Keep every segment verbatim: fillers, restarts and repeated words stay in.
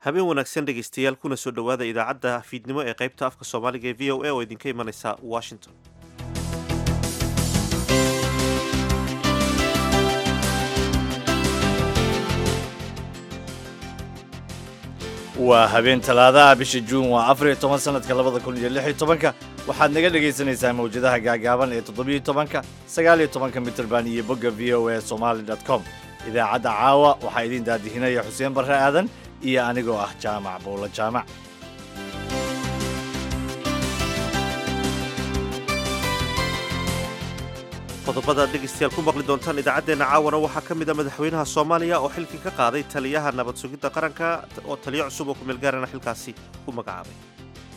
Habeen wanaagsan dhegaystayaal, kuna soo dhowaada idaacadda fiidnimo ee qaybta afka Soomaaliga ee V O A oo idinka imanaysa Washington. Waa habeen Talaadaha, bisha Juun waa afar iyo toban, sanadka labada kun iyo lix iyo tobanka. Waxaad naga dhegaysanaysaa mawjadaha gaagaaban ee toddobiyo tobanka, sagaal iyo tobanka mitirban iyo bogga V O A Somali dot com. Idaacadda caawa waxaa idin daadihinaya Xuseen Barre Aadan iyo anigoo ah Jaamac Bowlo Jaamac. Qodobada aad dhegaystayaal ku maqli doontaan idaacaddeenna caawana waxaa ka mid a madaxweynaha Soomaaliya oo xilkii ka qaaday taliyaha nabad sugidda qaranka, oo taliyo cusub oo kumeelgaarana xilkaasi ku magacaabay.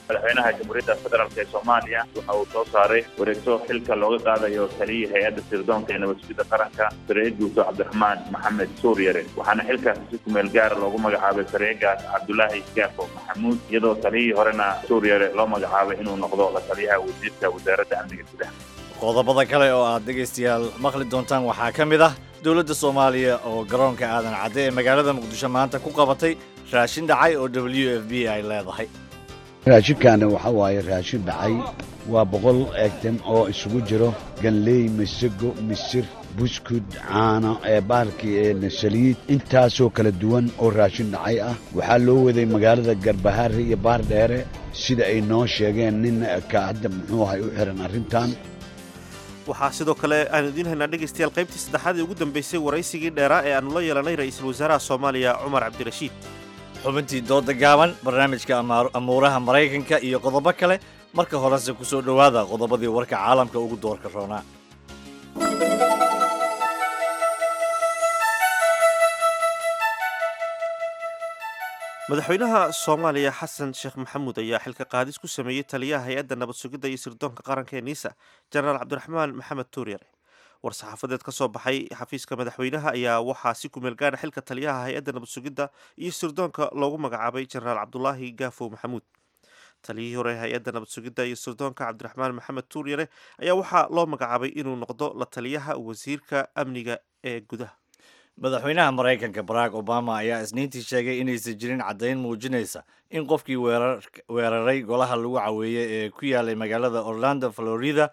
Madaxweynaha Jamhuuriyadda Federaalk ee Soomaaliya waxa uu soo saaray wareegto xilka looga qaadayo taliyihii hay-adda sirdoonka ee nabad sugidda qaranka, sareye guuto Cabdiraxmaan Maxamed Suuryare, waxaana xilkaasi si kumeel gaara loogu magacaabay sareegaas Cabdulaahi Gaafo Maxamuud, iyadoo taliyihii horena Suuryare loo magacaabay inuu noqdo la taliyaha wasiirka wasaaradda amniga gudaha. Qodobada kale oo aad dhegaystayaal maqli doontaan waxaa ka mid ah dowladda Soomaaliya oo garoonka Aadan Cadde ee magaalada Muqdisho maanta ku qabatay raashin dhacay oo W F P ay leedahay. Raashinkaana waxa waaye raashin dhacay, waa boqol item oo isugu jiro ganley, masago, misir, buskud, caano ee bahalkii ee saliid, intaasoo kala duwan oo raashin dhacay ah. Waxaa loo waday magaalada Garbahaare iyo Baardheere, sida ay noo sheegeen nin ka hadda muxuu ahay u xiran arrintan. Waxaa sidoo kale aanu idiin haynaa dhegaystayaal qaybtii saddexaad ee ugu dambeysay waraysigii dheeraa ee aanu la yeelanay ra-iisul wasaaraha Soomaaliya Cumar Cabdirashiid. Xubintii dooda gaaban, barnaamijka amuuraha Maraykanka iyo qodobo kale. Marka horese ku soo dhowaada qodobadii warka caalamka ugu doorka roonaa. Madaxweynaha Soomaaliya Xasan Sheekh Maxamuud ayaa xilka qaadis ku sameeyey taliyaha hay-adda nabad sugidda iyo sirdoonka qaranka ee NISA, Jenaraal Cabdiraxmaan Maxamed Tuuryare. War-saxaafadeed ka soo baxay xafiiska madaxweynaha ayaa waxaa si kumeel gaadha xilka taliyaha hay-adda nabad sugidda iyo sirdoonka loogu magacaabay Jenaraal Cabdulaahi Gaafow Maxamuud. Taliyihii hore hay-adda nabad sugidda iyo sirdoonka Cabdiraxmaan Maxamed Tuuryare ayaa waxaa loo magacaabay inuu noqdo la taliyaha wasiirka amniga ee gudaha. Madaxweynaha Maraykanka Barack Obama ayaa Isniintii sheegay inaysan jirin caddayn muujinaysa in qofkii weeraray golaha lagu caweeyey ee ku yaalay magaalada Orlando, Florida,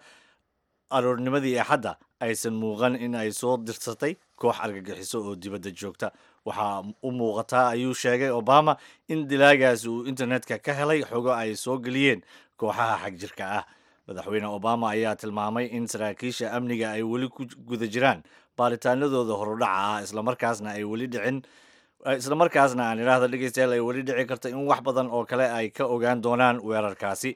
aroornimadii Axadda aysan muuqan in ay soo dirsatay koox argagixiso oo dibadda joogta. Waxaa u muuqataa, ayuu sheegay Obama, in dilaagaasi uu internetka ka helay xogo ay soo geliyeen kooxaha xagjirka ah. Madaxweyne Obama ayaa tilmaamay in saraakiisha amniga ay weli ku guda jiraan baaritaanadooda horudhaca ah, islamarkaasna ay weli dhicin, islamarkaasna aan idhaahda dhegeystayaal, ay weli dhici karto in wax badan oo kale ay ka ogaan doonaan weerarkaasi.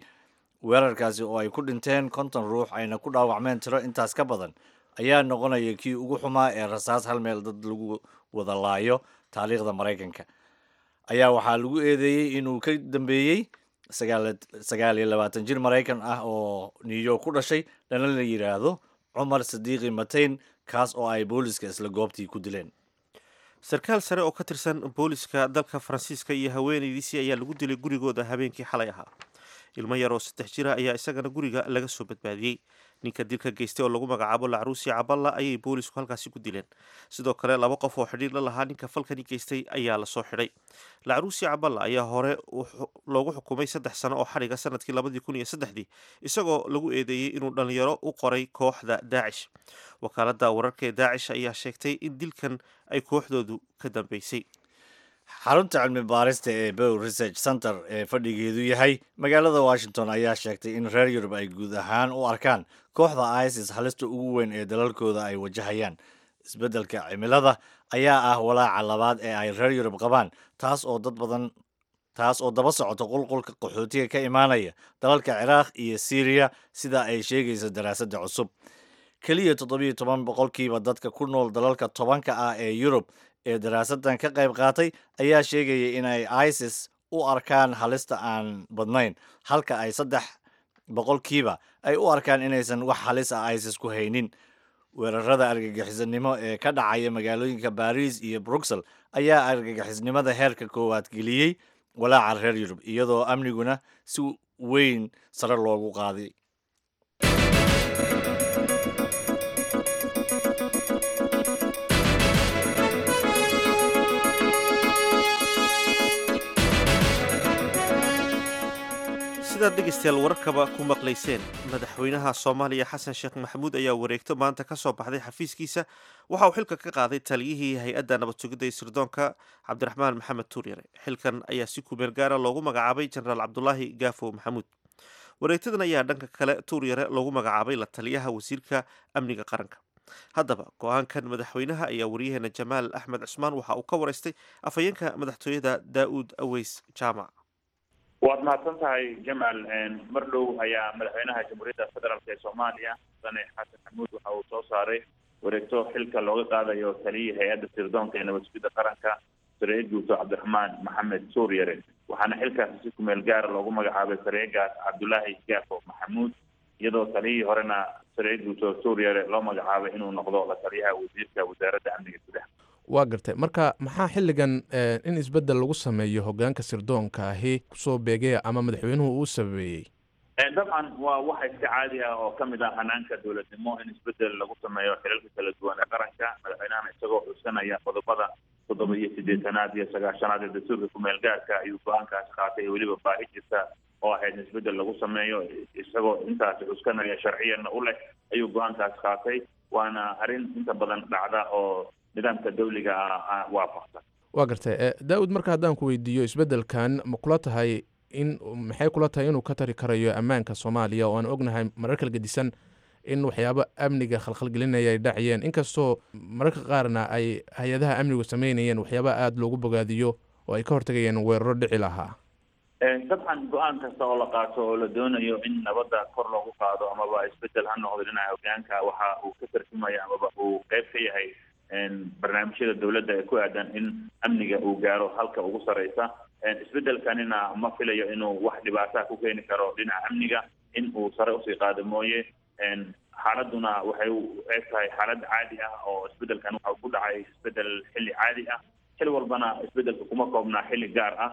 Weerarkaasi oo ay ku dhinteen konton ruux ayna ku dhaawacmeen tiro intaas ka badan ayaa noqonaya kii ugu xumaa ee rasaas hal meel dad lagu wada laayo taariikhda Maraykanka. Ayaa waxaa lagu eedeeyey inuu ka dambeeyey sagaal iyo labaatan jir Maraykan ah oo New York ku dhashay, dhana la yidhaahdo Cumar Sadiiqi Mateyn, kaas oo ay booliska isla goobtii ku dileen. Sarkaal sare oo ka tirsan booliska dalka Faransiiska iyo haweenaydiisii ayaa lagu dilay gurigooda habeenkii xalay ahaa. Ilmo yar oo saddex jira ayaa isagana guriga laga soo badbaadiyey. Ninka dilka geystay oo lagu magacaabo Lacruusi Caballa ayay boolisku halkaasi ku dileen. Sidoo kale laba qof oo xidhiir la lahaa ninka falkani geystay ayaa lasoo xidhay. Lacruusi Caballa ayaa hore loogu xukumay saddex sano oo xadhiga sanadkii labadii kun iyo saddexdii, isagoo lagu eedeeyey inuu dhalinyaro u qoray kooxda Daacish. Wakaaladda wararka ee Daacish ayaa sheegtay in dilkan ay kooxdoodu ka dambeysay. Xarunta cilmi baarista ee Pew Research Center ee fadhigeedu yahay magaalada Washington ayaa sheegtay in reer Yurub ay guud ahaan u arkaan kooxda ISIS halista ugu weyn ee dalalkooda ay wajahayaan. Isbeddelka cimilada ayaa ah walaaca labaad ee ay reer Yurub qabaan, taas oo dad badan taas oo daba socota qulqulka qaxootiga ka imaanaya dalalka Ciraaq iyo Syriya, sida ay sheegaysa daraasadda cusub. Keliya toddobiyo toban boqolkiiba dadka ku nool dalalka tobanka ah ee Yurub ee daraasadan ka qayb qaatay ayaa sheegaya in ay ISIS u arkaan halista aan badnayn, halka ay saddex boqolkiiba ay u arkaan inaysan wax halis ah ISIS ku haynin. Weerarada argagixisnimo ee ka dhacaya magaalooyinka Baris iyo Bruxelles ayaa argagixisnimada heerka koowaad geliyey walaaca reer Yurub, iyadoo amniguna si weyn sare loogu qaaday. Sidaad dhegeystayaal wararkaba ku maqlayseen, madaxweynaha Soomaaliya Xasan Sheekh Maxamuud ayaa wareegto maanta ka soo baxday xafiiskiisa waxa uu xilka ka qaaday taliyihii hay-adda nabad sugidda iyo sirdoonka Cabdiraxmaan Maxamed Tuuryare. Xilkan ayaa si kumeel gaara loogu magacaabay Jenaraal Cabdulaahi Gaafow Maxamuud. Wareegtadan ayaa dhanka kale Tuuryare loogu magacaabay la taliyaha wasiirka amniga qaranka. Haddaba go-aankan madaxweynaha ayaa wariyaheena Jamaal Axmed Cusmaan waxa uu ka waraystay afhayeenka madaxtooyada Daa'uud Aweys Jaamac. Waad mahadsan tahay, Jamal. Mar dhow ayaa madaxweynaha Jamhuuriyadda Federaalk ee Soomaaliya, Mudane Xasan Maxamuud, waxa uu soo saaray wareegto xilka looga qaadayo taliyihii hay-adda sirdoonka ee nabad sugidda qaranka, sareeye guuto Cabdiraxmaan Maxamed Tuuryare, waxaana xilkaasi si kumeel gaara loogu magacaabay sareegaas Cabdulaahi Gaafo Maxamuud, iyadoo taliyihii horena, sareeye guuto Tuuryare, loo magacaabay inuu noqdo la taliyaha wasiirka wasaaradda amniga gudaha. Waa gartay. Marka maxaa xilligan in isbeddel lagu sameeyo hoggaanka sirdoonka ahi kusoo beegaya ama madaxweynuhu uu sababeeyey? Dabcan waa waxa iska caadi ah oo kamid ah hanaanka dowladnimo in isbedel lagu sameeyo xilalka kala duwan ee qaranka. Madaxweynahana isagoo xusanaya qodobada toddoba iyo siddeetanaad iyo sagaashanaad ee dastuurka kumeel gaarka ayuu go-aankaasi qaatay, weliba baahi jirta oo ahayd in isbedel lagu sameeyo isagoo intaasi cuskanaya sharciyanna u leh ayuu go-aankaasi qaatay, waana arrin inta badan dhacda oo nidaamka dawliga ah waafaqsan. Waa gartay, Daawud. Marka haddaan ku weydiiyo, isbeddelkan ma kula tahay in maxay kula tahay inuu ka tari karayo ammaanka Soomaaliya, oo aan ognahay marar kala gedisan in waxyaabo amniga khalkhalgelinaya ay dhacayeen, inkastoo mararka qaarna ay hay-adaha amnigu sameynayeen waxyaaba aada loogu bogaadiyo oo ay ka hortagayeen weeraro dhici lahaa? Dabcan go-aan kasta oo la qaato oo la doonayo in nabadda kor loogu qaado amaba isbedel ha noqdo dhinaca hogaanka, waxa uu ka tarjumaya amaba uu qeyb ka yahay barnaamijyada dowladda ee ku aadan in amniga uu gaaro halka ugu sareysa. Isbedelkanina ma filayo inuu wax dhibaataa ku keeni karo dhinaca amniga, in uu sare usii qaado mooye. Xaaladuna waxay u eg tahay xaalad caadi ah oo isbedelkan waxa ku dhacay isbedel xilli caadi ah. Xilli walbana isbedelka kuma koobnaa xilli gaar ah.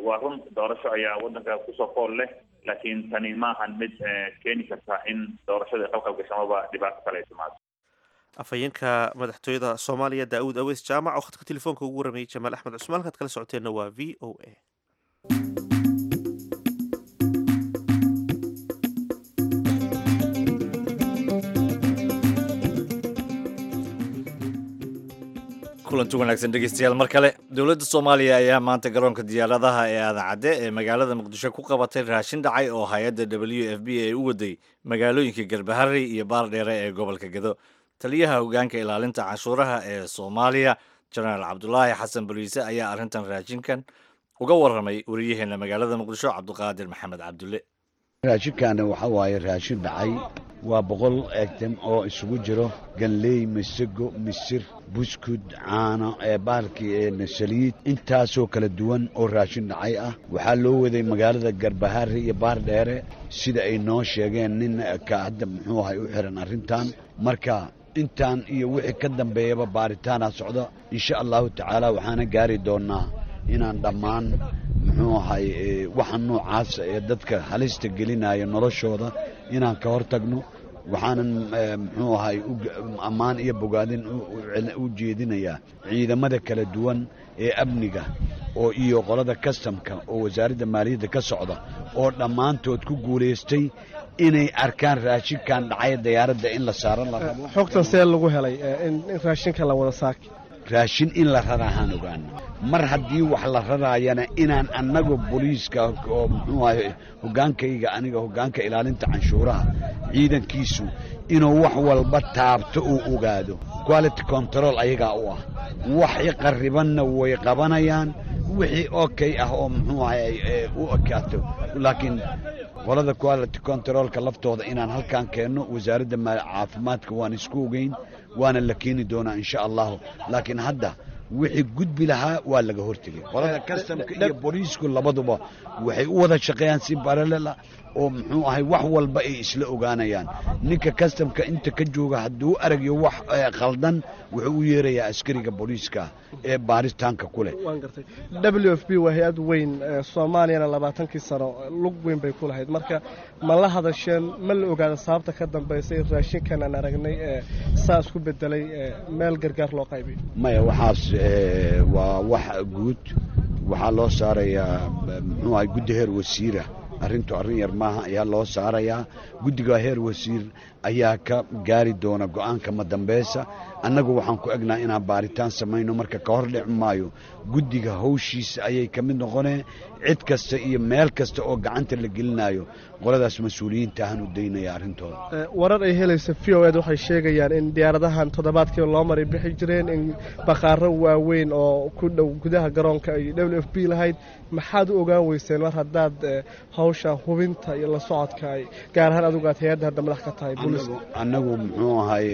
Waa run, doorasho ayaa waddanka kusoo fool leh, laakiin tani maahan mid keeni karta in doorashada qalqal gasho amaba dhibaato kale ay timaado. Afhayeenka madaxtooyada Soomaaliya Daa'uud Aweys Jaamac oo khadka telefoonka ugu waramayay Jamaal Axmed Cusmaan. Halkaad kala socoteenna waa V O A. Kulanti wanaagsan, dhegeystayaal, mar kale. Dowladda Soomaaliya ayaa maanta garoonka diyaaradaha ee Aadan Cadde ee magaalada Muqdisho ku qabatay raashin dhacay oo hay-adda W F P ay u waday magaalooyinka Garbaharey iyo Baardheere ee gobolka Gedo. Taliyaha hogaanka ilaalinta canshuuraha ee Soomaaliya, Jenaraal Cabdulaahi Xasan Boliise, ayaa arrintan raashinkan uga warramay wariyaheena magaalada Muqdisho, Cabdiqaadir Maxamed Cabdulle. Raashinkaana waxa waaye raashin dhacay. Waa boqol item oo isugu jiro ganley, masago, misir, buskud, caano ee bahalkii, saliid, intaasoo kala duwan oo raashin dhacay ah. Waxaa loo waday magaalada Garbahaare iyo Baardheere, sida ay noo sheegeen nin ka hadda muxuu ahay u xiran arrintan. Marka intaan iyo wixii ka dambeeyaba baaritaanaa socda, insha Allahu tacaala. Waxaana gaari doonnaa inaan dhammaan muxuu ahay waxa noocaasa ee dadka halista gelinaya noloshooda inaan ka hor tagno. Waxaanan muxuu ahay ammaan iyo bogaadin u jeedinayaa ciidamada kala duwan ee amniga oo iyo qolada kastamka oo wasaaradda maaliyadda ka socda oo dhammaantood ku guulaystay inay arkaan raashinkan dhacay diyaaradda in la saaro la rabo. Xogtan see lagu helay in raashinka la wada saaki? Raashin in la raraahaan ogaana. Mar haddii wax la raraayana, inaan annagu booliiska oo muxuu ahay hoggaankayga, aniga hoggaanka ilaalinta canshuuraha, ciidankiisu inuu wax walba taabto uu ogaado, quality control ayagaa u ah. Waxi qarribanna way qabanayaan, wixii okay ah oo muxuu ahay u ekaato. Laakiin qolada quality controlka laftooda inaan halkan keenno, wasaaradda caafimaadka waan isku ogeyn, waana la keeni doonaa insha Allahu. Laakiin hadda wixii gudbi lahaa waa laga hortegay. Qolada kastamka iyo booliisku labaduba waxay u wada shaqeeyaan si parallel ah oo muxuu ahay wax walba ay isla ogaanayaan. Ninka kastamka inta ka jooga hadduu aragyo wax khaldan, wuxuu u yeerayaa askariga booliiska ee baaritaanka ku leh. Waan gartay. W F P waa hay-ad weyn, Soomaaliyana labaatankii sano lug weyn bay ku lahayd. Marka ma la hadasheen? Ma la ogaada sababta ka dambaysa in raashinkan aan aragnay ee saa isku bedelay meel gargaar loo qaybiyo? Maya, waxaas waa wax guud. Waxaa loo saarayaa muxuu ahay guddi heer wasiira Arrintu arrin yar maaha ayaa loo saarayaa. Guddiga heer wasiir ayaa ka gaari doona go'aanka madambaysa. Annagu waxaan ku egnaa inaan baaritaan samayno, marka ka hor dhici maayo. Guddiga hawshiisa ayay ka mid noqonee cid kasta iyo meel kasta oo gacanta la gelinayo qoladaas mas-uuliyiinta ahaan u daynaya arrintooda. Warar ay helaysa V O ed waxay sheegayaan in diyaaradahan toddobaadkii loo maray bixi jireen in bakhaaro waaweyn oo ku dhow gudaha garoonka ay W F P lahayd. Maxaad u ogaan weyseen mar haddaad hawsha hubinta iyo la socodka ay gaar ahaan adigu aad hay-adda hadda madax ka tahay booliska? Annagu muxuu ahay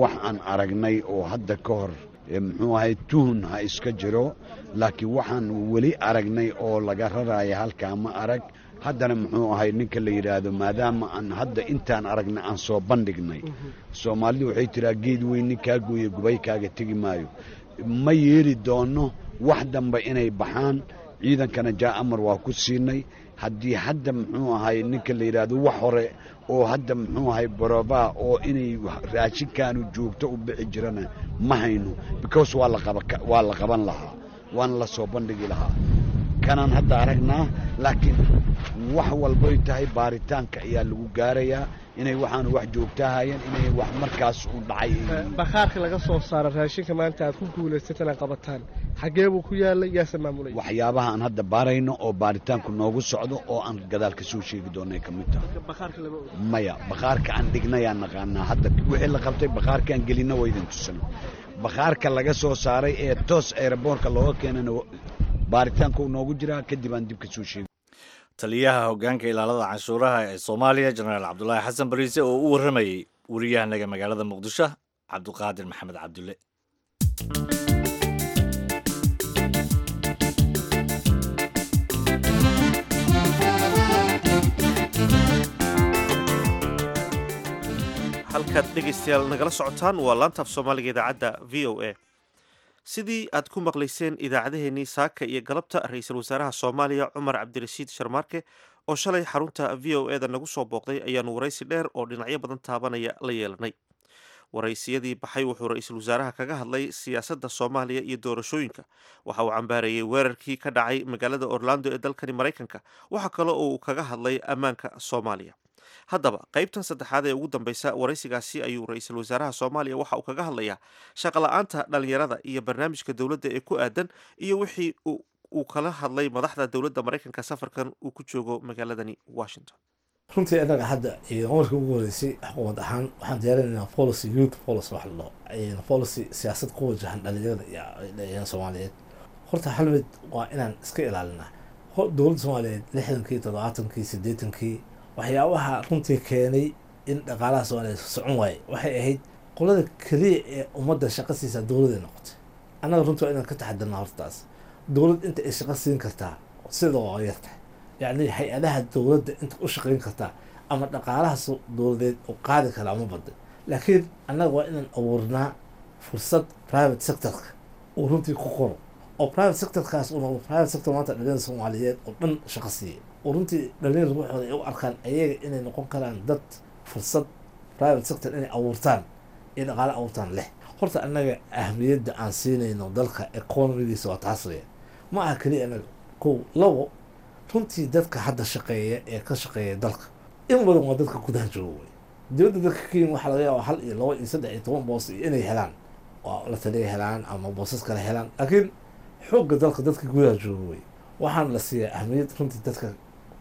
wax aan aragnay oo hadda ka hor muxuu ahay tuhun ha iska jiro, laakiin waxaan weli aragnay oo laga raraya halkaa ma arag. Haddana muxuu ahay ninka la yidhaahdo, maadaama aan hadda intaan aragnay aan soo bandhignay, Soomaalidu waxay tiraa geed weyn ninkaa gooye gubay kaaga tegi maayo. Ma yeeli doono wax dambe inay baxaan. Ciidankana jaa amar waa ku siinay. Haddii hadda muxuu ahay ninka la yidhaahdo wax hore oo hadda muxuu ahay barobaa oo inay raashinkaanu joogto u bixi jirana ma hayno, because waa laqaba waa la qaban lahaa, waana la soo bandhigi lahaa. Kanaan hadda aragnaa, laakiin wax walbay tahay baaritaanka ayaa lagu gaarayaa inay waxaanu wax joogtaahayeen, inay wax markaas u dhacay. Bakhaarka laga soo saara raashinka maanta aad ku guulaysatan aad qabataan xaggee buu ku yaalay, yaase maamulay? Waxyaabaha aan hadda baarayno oo baaritaanku noogu socdo oo aan gadaal ka soo sheegi doonay ka mid tahay. Maya, bakhaarka aan dhignayaan naqaanaa hadda wixii la qabtay bakhaarkaan gelinna waa idin tusana. Bakhaarka laga soo saaray ee toos aeroboorka looga keenana baaritaanku noogu jiraa, kadib aan dib ka soo sheegi. Taliyaha hoggaanka ilaalada canshuuraha ee Soomaaliya Jenaraal Cabdulaahi Xasan Bariise oo u warramayey wariyahanaga magaalada Muqdisho Cabdiqaadir Maxamed Cabdulle. Halkaad dhegaystayaal nagala socotaan waa laantaaf Soomaaliga idaacadda V O A. Sidii aad ku maqlayseen idaacadaheenii saaka iyo galabta, ra-iisul wasaaraha Soomaaliya Cumar Cabdirashiid Sharmaarke oo shalay xarunta V O E da nagu soo booqday ayaanu waraysi dheer oo dhinacyo badan taabanaya la yeelanay. Waraysiyadii baxay wuxuu ra-iisul wasaaraha kaga hadlay siyaasadda Soomaaliya iyo doorashooyinka. Waxa uu cambaareeyey weerarkii ka dhacay magaalada Orlando ee dalkani Maraykanka. Waxa kale oo uu kaga hadlay ammaanka Soomaaliya. Haddaba qaybtan saddexaad ee ugu dambaysa waraysigaasi ayuu ra-iisul wasaaraha Soomaaliya waxa uu kaga hadlayaa shaqola'aanta dhalinyarada iyo barnaamijka dowladda ee ku aadan iyo wixii uu kala hadlay madaxda dowladda Maraykanka safarkan uu ku joogo magaaladani Washington. Runtii annaga hadda markii ugu horeysay xukuumad ahaan waxaan diyaarinaynaa policy, youth policy wax la dhaho, policy siyaasad ku wajahan dhalinyarada iyo Soomaaliyeed. Horta hal mid waa inaan iska ilaalinaa. Dowladda Soomaaliyeed lixdankii, toddobaatankii, siddeetankii waxyaabaha runtii keenay in dhaqaalaha Soomaaliyeed socon waaye waxay ahayd qolada keliya ee ummadda shaqo siisaa dowladay noqotay. Annaga runtii waa inaan ka taxadirnaa hortaas. Dowlad inta ay shaqo siin kartaa sida waa yartahay, yacni hay-adaha dowladda inta u shaqayn kartaa ama dhaqaalaha dowladeed u qaadi karaa ma badda. Laakiin annaga waa inaan abuurnaa fursad private sectorka uu runtii ku qoro, oo private sectorkaas uu noqdo private sector maanta dhalinyarada Soomaaliyeed oo dhan shaqo siiya, oo runtii dhalinyarada ruuxooda ay u arkaan ayaga inay noqon karaan dad fursad private sector inay abuurtaan iyo dhaqaale abuurtaan leh. Horta annaga ahmiyadda aan siinayno dalka economigiisa waa taas weya, ma aha keliya annaga. Kow, labo, runtii dadka hadda shaqeeya ee ka shaqeeya dalka in badan waa dadka gudaha jooga wey. Dowladda dalka Kenya waxaa laga yaabaa hal iyo labo iyo saddex iyo toban boos iyo inay helaan, waa la taliya helaan ama boosas kale helaan, laakiin xoogga dalka dadka gudaha jooga wey. Waxaana la siiyaa ahmiyad runtii dadka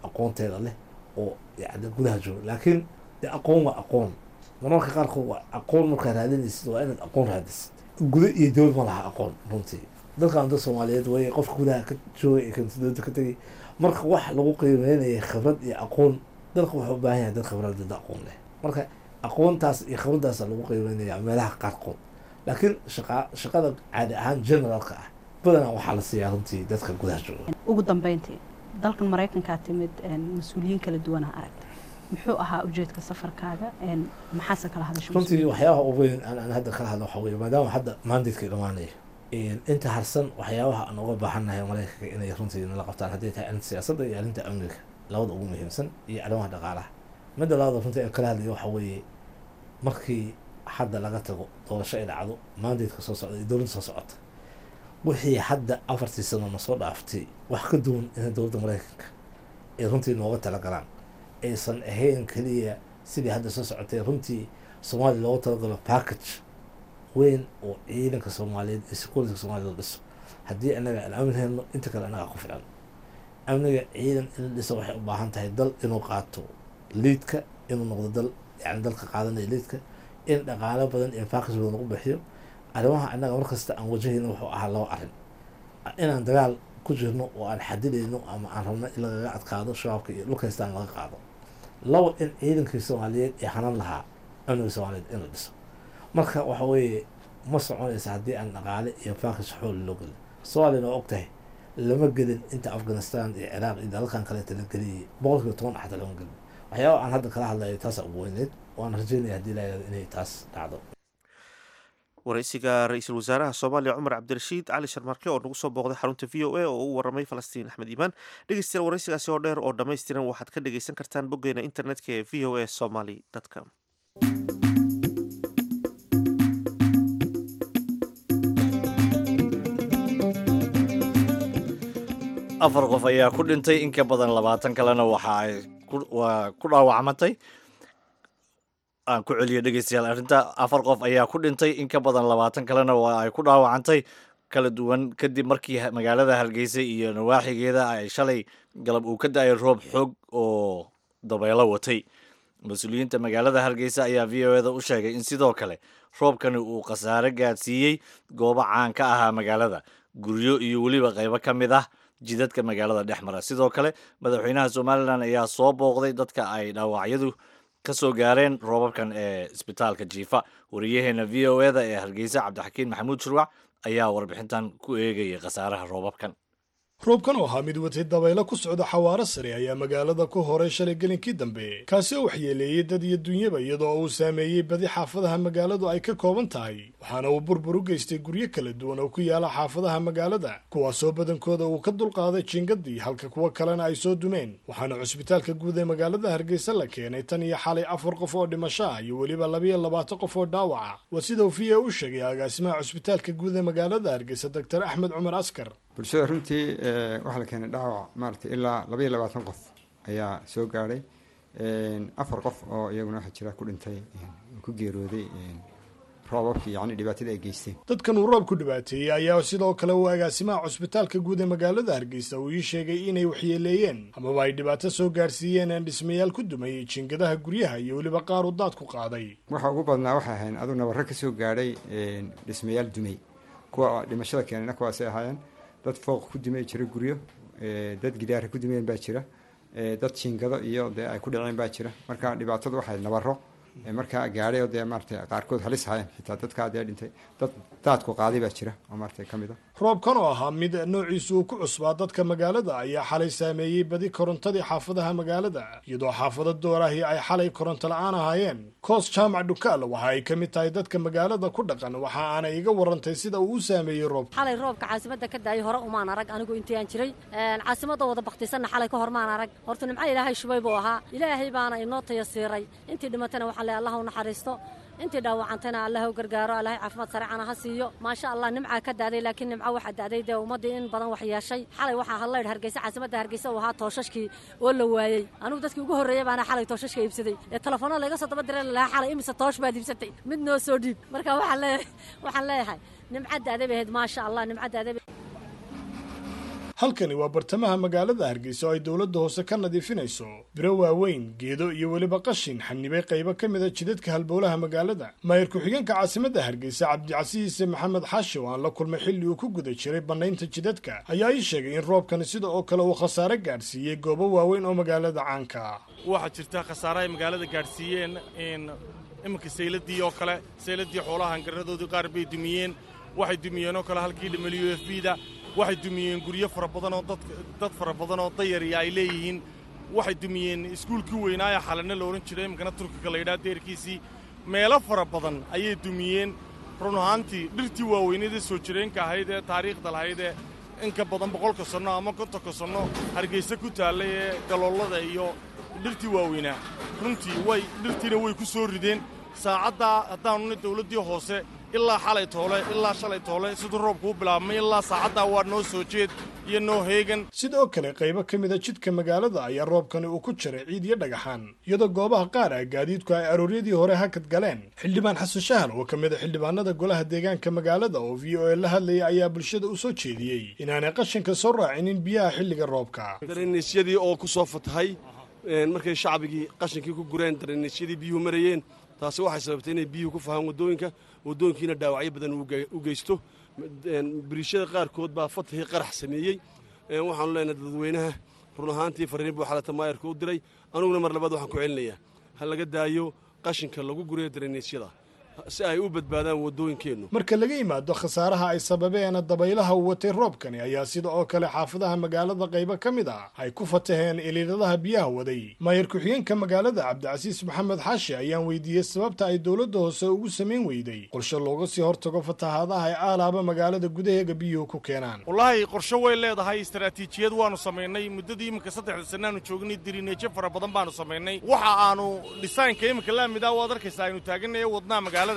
aqoonteeda leh oo yacni gudaha jooga. Laakiin dee aqoon waa aqoon, marmarka qaarkood waa aqoon markaa raadinaysid waa inaad aqoon raadisid. Guda iyo dowlad ma laha aqoon runtii. Dalkan dad Soomaaliyeed wey, qofka gudaha ka joogay ee kan dowladda ka tegay, marka wax lagu qiimeynaya khibrad iyo aqoon, dalka wuxuu u baahan yahay dad khibrad dad aqoon leh. Marka aqoontaas iyo khibraddaas lagu qiimeynaya meelaha qaarkood, laakiin shaqa shaqada caadi ahaan generalka ah badanaa waxaa la siiyaa runtii dadka gudaha jooga. Ugu dambeyntii dalkan Maraykankaa timid, mas-uuliyiin kala duwana aragtay, muxuu ahaa ujeedka safarkaaga, maxaase kala hadashay? Runtii waxyaabaha ugu weyn aan aan hadda kala hadlo waxaa weeye, maadaama hadda mandatekii dhamaanayo inta harsan waxyaabaha aan uga baahannahay Maraykanka inay runtii nala qabtaan, hadday tahay arrinta siyaasadda iyo arrinta amniga labada ugu muhiimsan iyo arrimaha dhaqaalaha. Midda labaad runtii aan kala hadlayo waxaa weeye, markii hadda laga tago doorasho ay dhacdo, mandateka soo socda iyo dowladda soo socota, wixii hadda afartii sano na soo dhaaftay wax ka duwan in dowladda Maraykanka ay runtii nooga talagalaan, aysan ahayn keliya sidii hadda soo socotay. Runtii Soomaaliya looga talagalo package weyn oo ciidanka Soomaaliyeed iyo security Soomaliya la dhiso. Haddii anaga aan amni helno, inta kale anaga ku filan. Amniga ciidan in la dhiso waxay u baahan tahay dal inuu qaato lead-ka, inuu noqdo dal yani dalka qaadanaya lead-ka, in dhaqaalo badan iyo package badan lagu bixiyo arrimaha. Annaga markasta aan wajahayno wuxuu ahaa laba arrin: inaan dagaal ku jirno oo aan xadidayno ama aan rabno in lagaga adkaado Shabaabka iyo dhulka haystaan laga qaado; labo, in ciidankii Soomaaliyeed ee hanan lahaa amniga Soomaaliyeed in la dhiso. Marka waxa weeye, ma soconaysa haddii aan dhaqaale iyo package xool loo gelin. Soomaaliyana waa og tahay, lama gelin inta Afghanistan iyo Ciraaq iyo dalalkan kaleeta la geliyay, boqol kiiba toban xataa lama gelin. Waxyaaba aan hadda kala hadlayo taasa ugu weyneyd, waan rajeynaya haddii la yidhahdo inay taas dhacdo. Waraysiga ra-iisul wasaaraha Soomaaliya Cumar Cabdirashiid Cali Sharmarke oo nagu soo booqday xarunta V O A oo u waramay Falastiin Axmed Iimaan. Dhegeystayaal, waraysigaasi oo dheer oo dhammaystiran waxaad ka dhegeysan kartaan boggeena internetka ee V O A Somali com. Afar qof ayaa ku dhintay, in ka badan labaatan kalena waxa ay waa ku dhaawacmatay. Aan ku celiyo, dhegeystayaal, arrinta. Afar qof ayaa ku dhintay, in ka badan labaatan kalena waa ay ku dhaawacantay kala duwan, kadib markii magaalada Hargeysa iyo nawaaxigeeda ay shalay galab uu ka da-ay roob xoog oo dabeelo watay. Mas-uuliyiinta magaalada Hargeysa ayaa V O A da u sheegay in sidoo kale roobkani uu khasaare gaadsiiyey goobo caan ka ahaa magaalada, guryo iyo weliba qaybo ka mid ah jidadka magaalada dhex mara. Sidoo kale madaxweynaha Somaliland ayaa soo booqday dadka ay dhaawacyadu ka soo gaareen roobabkan ee isbitaalka jiifa. Wariyaheena V O A da ee Hargeysa, Cabdixakiin Maxamuud Shurwac, ayaa warbixintan ku eegayay khasaaraha roobabkan. Roobkan oo ahaa mid watay dabaylo ku socda xawaaro sare ayaa magaalada ku horay shalay gelinkii dambe, kaasi oo waxyeeleeyey dad iyo dunyaba, iyadoo uu saameeyey badi xaafadaha magaaladu ay ka kooban tahay. Waxaana uu burbur u geystay guryo kala duwan oo ku yaala xaafadaha magaalada, kuwaasoo badankooda uu ka dulqaaday jiingadii, halka kuwo kalena ay soo dumeen. Waxaana cusbitaalka guud ee magaalada Hargeysa la keenay tan iyo xalay afar qof oo dhimasho ah iyo weliba labiyo labaatan qof oo dhaawaca. Waa sida uu V O A u sheegay agaasimaha cusbitaalka guud ee magaalada Hargeysa, Doctor Axmed Cumar Askar. Bulshada runtii waxaa la keenay dhaawac maaragtay ilaa labaiyo labaatan qof ayaa soo gaadhay. Afar qof oo iyaguna waxaa jira ku dhintay, ku geerooday roobabkii, yacni dhibaatada ay geysteen. Dadkan uu roobku dhibaateeyey ayaa sidoo kale uu agaasimaha cusbitaalka guud ee magaalada Hargeysa uu ii sheegay inay waxyeeleeyeen amaba ay dhibaato soo gaarsiiyeen aan dhismayaal ku dumay jiingadaha guryaha iyo weliba qaar uu daad ku qaaday. Waxa ugu badnaa waxay ahayn aduu nabarro ka soo gaadhay dhismayaal dumay. Kuwa dhimashada keenayna kuwaasay ahaayeen. Dad fooq ku dumay jira, guryo dad gidaara ku dumeen baa jira, dad jiingado iyo dee ay ku dhaceen baa jira. Marka dhibaatadu waxay nabaro markaa gaadhay oo dee maaratay qaarkood halis ahaayeen, xitaa dadkaa dee dhintay, dad daadku qaaday baa jira oo maaratay ka mid a. Roobkan oo ahaa mid noociisu uu ku cusbaa dadka magaalada ayaa xalay saameeyey badi korontadii xaafadaha magaalada, iyadoo xaafado doorahi ay xalay koronto la-aan ahaayeen. Koos Jaamac Dhukaal waxa ay ka mid tahay dadka magaalada ku dhaqan, waxa aanay iga warantay sida uu u saameeyey roobka. Xalay roobka caasimadda ka daayay hore umaan arag anigu intii aan jiray. Caasimadda wada baktisanna xalay ka hor maan arag. Horta nimco Ilaahay shubay buu ahaa, Ilaahay baana inoo tayasiiray. Intii dhimatana waxaan leeyahay Allah u naxariisto, intii dhaawacantayna Allah u gargaaro, Allahay caafimaad sareecana ha siiyo. Maasha Allah, nimcaa ka daaday, laakiin nimco waxaa daaday dee ummaddii in badan wax yeeshay. Xalay waxaa hadlaydh Hargeysa, caasimadda Hargeysa uu ahaa tooshashkii oo la waayey. Anigu dadkii ugu horreeyey baana xalay tooshashka iibsaday ee telefoonada laga soo daba diray lalahaa, "Xalay imise toosh baad iibsatay? Mid noo soo dhiib." Marka waxaan leeyahay waxaan leeyahay nimca daaday bay ahayd, maasha Allah, nimca daaday. Halkani waa bartamaha magaalada Hargeysa oo ay dowladda hoose ka nadiifinayso biro waaweyn, geedo iyo weliba qashin xanibay qaybo ka mida jidadka halbowlaha magaalada. Maayir ku-xigeenka caasimadda Hargeysa, Cabdicasiis Maxamed Xaashi, oo aan la kulmay xilli uu ku guda jiray bannaynta jidadka, ayaa ii sheegay in roobkani sida oo kale uu khasaare gaadhsiiyey goobo waaweyn oo magaalada caanka ah. Waxaa jirta khasaare ay magaalada gaadhsiiyeen iminka sayladii oo kale, sayladii xoolaha hangaradoodii qaar bay dumiyeen. Waxay dumiyeen oo kale halkii W F P da. Waxay dumiyeen guryo fara badan oo dad dad fara badan oo dayariya ay leeyihiin. Waxay dumiyeen iskuulkii weynaaye Xalane la odhan jiray, iminkana Turkiga la yidhaha, deerkiisii. Meelo fara badan ayay dumiyeen run ahaantii. Dhirtii waaweyneedee soo jireenka ahayd ee taariikhda lahayd ee in ka badan boqolka sanno ama kontonka sanno Hargeysa ku taallay ee galoolada iyo dhirtii waaweynaa, runtii way dhirtiina way ku soo rideen. Saacaddaa haddaannu dawladdii hoose ilaa xalay toole ilaa shalay toole siduu roobkuu bilaabmay ilaa saacaddaa waa noo soo jeed iyo noo heegan. Sidoo kale qaybo ka mid a jidka magaalada ayaa roobkani uu ku jiray ciid iyo dhagaxaan, iyadoo goobaha qaar ah gaadiidku ay arooryadii hore hakad galeen. Xildhibaan Xasan Shahal oo ka mid a xildhibaanada golaha deegaanka magaalada oo V O A la hadlayay ayaa bulshada u soo jeediyey inaanay qashinka soo raacinin biyaha xilliga roobka. Dareenyadii oo ku soo fatahay markay shacbigii qashinkii ku gureen, dareenyadii biyuhu marayeen, taasi waxay sababtay inay biyuhu ku fahaan waddooyinka, waddooyinkiina dhaawacyo badan u geysto. Biriishada qaarkood baa fatahii qarax sameeyey. Waxaanu leenahay dadweynaha, run ahaantii fariin buu xalata maayarka u diray, aniguna mar labaad waxaan ku celinayaa ha laga daayo qashinka lagu gurayo dareenyada si ay u badbaadaan waddooyinkeennu. Marka laga yimaado khasaaraha ay sababeen dabaylaha uu watay roobkani ayaa sida oo kale xaafadaha magaalada qaybo ka mid ah ay ku fataheen iliiladaha biyaha waday. Maayar ku-xigeenka magaalada Cabdicasiis Maxamed Xaashi ayaan weydiiyey sababta ay dowladda hoose ugu samayn weyday qorshe looga sii hortago fatahaadaha ay aalaaba magaalada gudaheega biyuhu ku keenaan. Wallaahi qorshe way leedahay, istaraatiijiyad waanu samaynay muddadii iminka saddexda sannaanu joognay, dirineejo fara badan baanu samaynay. Waxa aanu dhisaynka iminka laamidaa waad arkaysaa aynu taaganaya wadnaha magaalada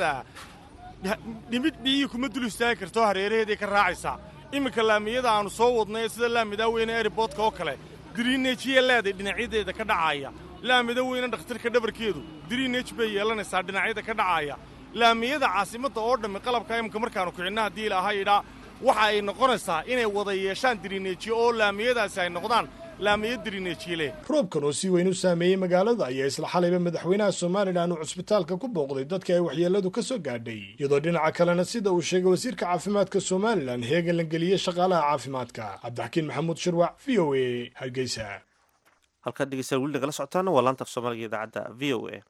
dhimid biyihii kuma dul istaagi karto, hareeraheeday ka raacaysaa. Iminka laamiyada aanu soo wadnay sida laamidaa weyne airboodka oo kale diriineejiya leeday dhinacyadeeda ka dhacaya. Laamida weyne dhakhtarka dhabarkeedu diriineej bay yeelanaysaa dhinacyada ka dhacaya. Laamiyada caasimadda oo dhammi qalabka iminka markaannu kicinna haddii ilaahay idhaa waxa ay noqonaysaa inay wada yeeshaan diriineejiyo oo laamiyadaasi ay noqdaan laamiyo diriineejiyele. Roobkan oo si weyn u saameeyey magaalada ayaa isla xalayba madaxweynaha Somalilan uu cusbitaalka ku booqday dadka ay waxyeeladu ka soo gaadhay, iyadoo dhinaca kalena sida uu sheegay wasiirka caafimaadka Somalilan heegan la geliyey shaqaalaha caafimaadka. Cabdixakiin Maxamuud Shirwac, V O A, Hargeysa. Halkaad dhegeystayaal weli nagala socotaana waa laanta af Soomaaliga idaacadda V O A.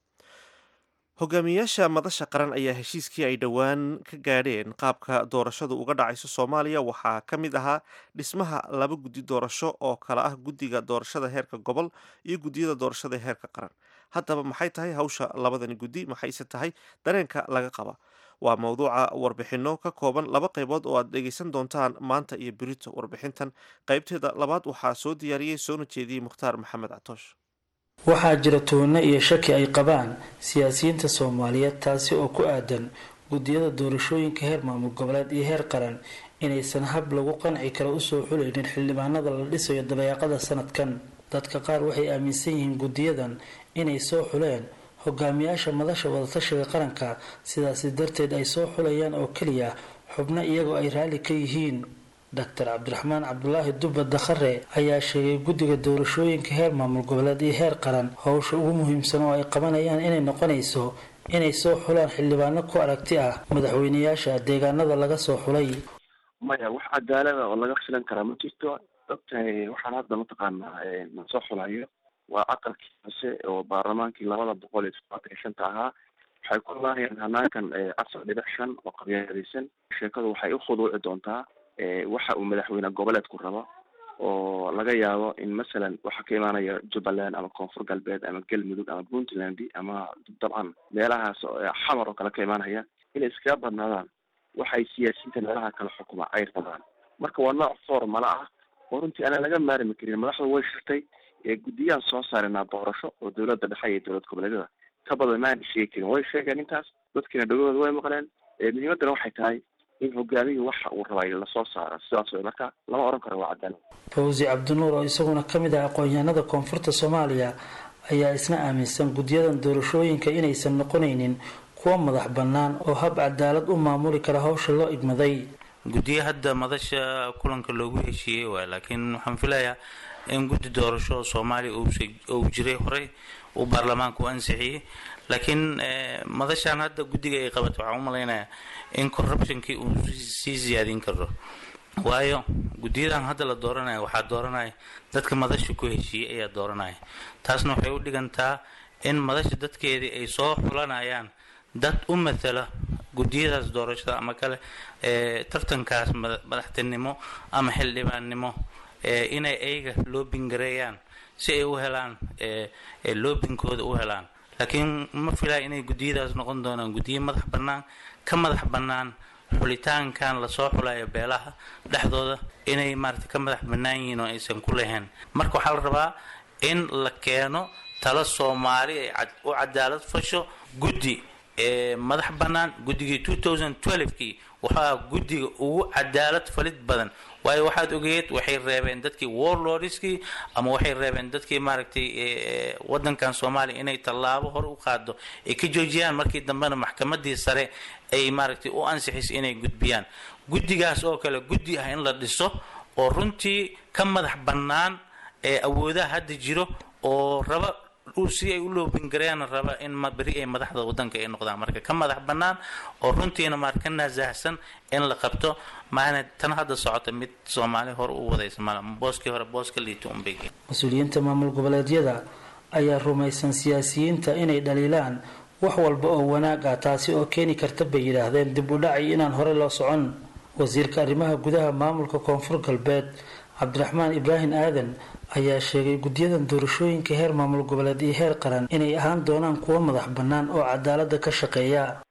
Hogaamiyayaasha madasha qaran ayaa heshiiskii ay dhowaan ka gaadheen qaabka doorashadu uga dhacayso Soomaaliya waxaa ka mid ahaa dhismaha laba guddi doorasho oo kala ah guddiga doorashada heerka gobol iyo guddiyada doorashada heerka qaran. Haddaba maxay tahay hawsha labadani guddi, maxayse tahay dareenka laga qaba? Waa mowduuca warbixinno ka kooban laba qaybood oo aad dhegeysan doontaan maanta iyo berito. Warbixintan qaybteeda labaad waxaa soo diyaariyey soona jeediyey Mukhtaar Maxamed Catoosh. Waxaa jira toona iyo shaki ay qabaan siyaasiyiinta Soomaaliyeed taasi oo ku aadan guddiyada doorashooyinka heer maamul goboleed iyo heer qaran inaysan hab lagu qanci karo usoo xulaynin xildhibaanada la dhisayo dabayaaqada sanadkan. Dadka qaar waxay aaminsan yihiin guddiyadan inay soo xuleen hogaamiyaasha madasha wadatashiga qaranka, sidaasi darteed ay soo xulayaan oo keliya xubno iyagoo ay raalli ka yihiin. Doctor Cabdiraxmaan Cabdulaahi Dubba Dakhare ayaa sheegay guddiga doorashooyinka heer maamul goboleed iyo heer qaran howsha ugu muhiimsan oo ay qabanayaan inay noqonayso inay soo xulaan xildhibaano ku aragti ah madaxweynayaasha deegaanada laga soo xulay. Maya, wax cadaalada oo laga filan karaa ma jirto. Ogtahay waxaan hadda mataqaanaa la soo xulayo waa aqalkii hoose oo baarlamaankii labada boqol iyo toddobaatan iyo shanta ahaa. Waxay ku laayeen hanaankan afar dhibic shan oo qabyaalaysan. Sheekadu waxay u khuduuci doontaa waxa uu madaxweyne goboleedku rabo, oo laga yaabo in masalan waxa ka imaanaya Jubbaland ama Koonfur Galbeed ama Galmudug ama Puntland ama dabcan meelahaas xamar oo kale ka imaanaya inay iskaga badnaadaan waxay siyaasiyiinta meelaha kala xukuma ay rabaan. Marka waa nooc formala ah oo runtii aanan laga maarmi karin. Madaxdu way shirtay, guddiyaan soo saaranaa doorasho oo dowladda dhexe iyo dowlad goboleedyada ka badan maana sheegi karin. Way sheegeen intaas, dadkiina dhagahooda way maqleen. Muhiimaddana waxay tahay in hogaamiyuhu waxa uu rabay lasoo saaro, sidaas way. Marka lama oran karo waa cadaalad. Fawzi Cabdinuur oo isaguna ka mid ah aqoon-yahanada koonfurta Soomaaliya ayaa isna aaminsan guddiyadan doorashooyinka inaysan noqonaynin kuwa madax bannaan oo hab cadaalad u maamuli kara hawsha loo igmaday. Guddiyo hadda madasha kulanka loogu heshiiyey waay, laakiin waxaan filayaa in guddi doorasho Soomaaliya uu jiray horey uu baarlamaanku ansixiyey, laakiin madashan hadda guddiga ay qabato waxaan u malaynayaa in corruptionkii uu sii siyaadin karo. Waayo guddiyadan hadda la dooranaya waxaa dooranaya dadka madasha ku heshiiyey ayaa dooranaya. Taasna waxay u dhigantaa in madasha dadkeedii ay soo xulanayaan dad u matala guddiyadaas doorashada ama kale ee tartankaas madaxtinimo ama xildhibaannimo, inay ayaga loobingareeyaan si ay u helaan loobinkooda u helaan. Laakiin ma filaya inay guddiyadaas noqon doonaan guddiyo madax bannaan, ka madax bannaan xulitaankan lasoo xulayo beelaha dhexdooda, inay maarata ka madax bannaan yihiin oo aysan ku lahayn. Marka waxaa la rabaa in la keeno talo Soomaali ay u cadaalad fasho, guddi ee madax bannaan. Guddigii two thousand twelve-kii waxaa guddiga ugu cadaalad falid badan, waayo waxaad ogeed waxay reebeen dadkii warlordskii ama waxay reebeen dadkii maaragtay wadankan Soomaaliya inay tallaabo hor u qaado ay ka joojiyaan. Markii dambena maxkamadii sare ay maaragtay u ansixisay inay gudbiyaan guddigaas oo kale, guddi ah in la dhiso oo runtii ka madax bannaan ee awoodaha hadda jiro oo raba si ay u loobingareeyaan, raba in beri ay madaxda wadanka ay noqdaan, marka ka madax bannaan oo runtiina maar ka naasahsan in la qabto. Maana tan hadda socota mid Soomaali hore u wadaysa mala, booskii hore booska liito unbay. Mas-uuliyiinta maamul goboleedyada ayaa rumaysan siyaasiyiinta inay dhaliilaan wax walba oo wanaag ah, taasi oo keeni karta bay yidhaahdeen dib u dhaci inaan hore loo socon. Wasiirka arrimaha gudaha maamulka Koonfur Galbeed Cabdiraxmaan Ibraahim Aadan ayaa sheegay guddiyadan doorashooyinka heer maamul goboleed iyo heer qaran inay ahaan doonaan kuwo madax bannaan oo cadaalada ka shaqeeya.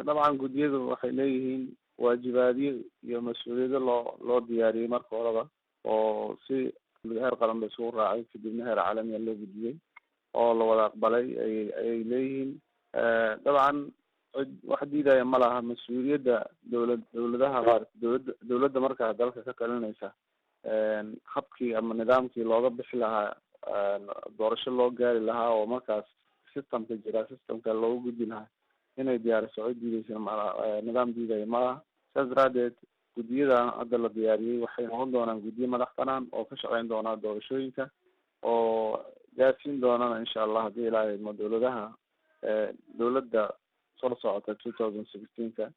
Dabcan guddiyadu waxay leeyihiin waajibaadyo iyo mas-uuliyado loo loo diyaariyey marka horeba, oo si heer qaran ba isugu raacay, kadibna heer caalamiya loo gudbiyey oo la wada aqbalay ayay ayay leeyihiin. Dabcan cid wax diidaya ma laha mas-uuliyadda dowlad dowladaha maarata dowladda dowladda markaa dalka ka talinaysa habkii ama nidaamkii looga bixi lahaa, doorasho loo gaari lahaa oo markaas systemka jira systemka looga gudbi lahaa inay diyaariso, cid diideysa malaha, nidaam diidaya malaha. Saas daraadeed guddiyadan hadda la diyaariyey waxay noqon doonaan guddiyo madax banaan oo ka shaqeyn doona doorashooyinka oo gaarsiin doonana insha Allah haddii Ilaahay idmo dowladaha dowladda soo socota two thousand sixteenka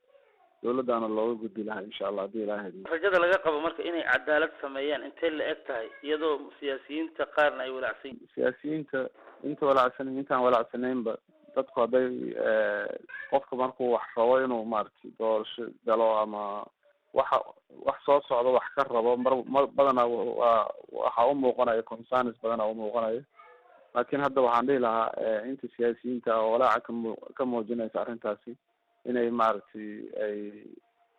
dowladdaana looga gudbi lahaa insha Allah haddii Ilaahay idmo. Rajada laga qabo marka inay cadaalad sameeyaan intee la eg tahay, iyadoo siyaasiyiinta qaarna ay walaacsan yihiin? Siyaasiyiinta inta walaacsan, intaan walaacsanaynba, dadku hadday qofka markuu wax rabo inuu maaragtay doorasho galo ama waxa wax soo socdo wax ka rabo, mar mar badanaa waa waxa u muuqanayo concerns badanaa u muuqanayo. Laakiin hadda waxaan dhihi lahaa inta siyaasiyiinta oo walaaca kamu ka muujinaysa arrintaasi inay maaragtay ay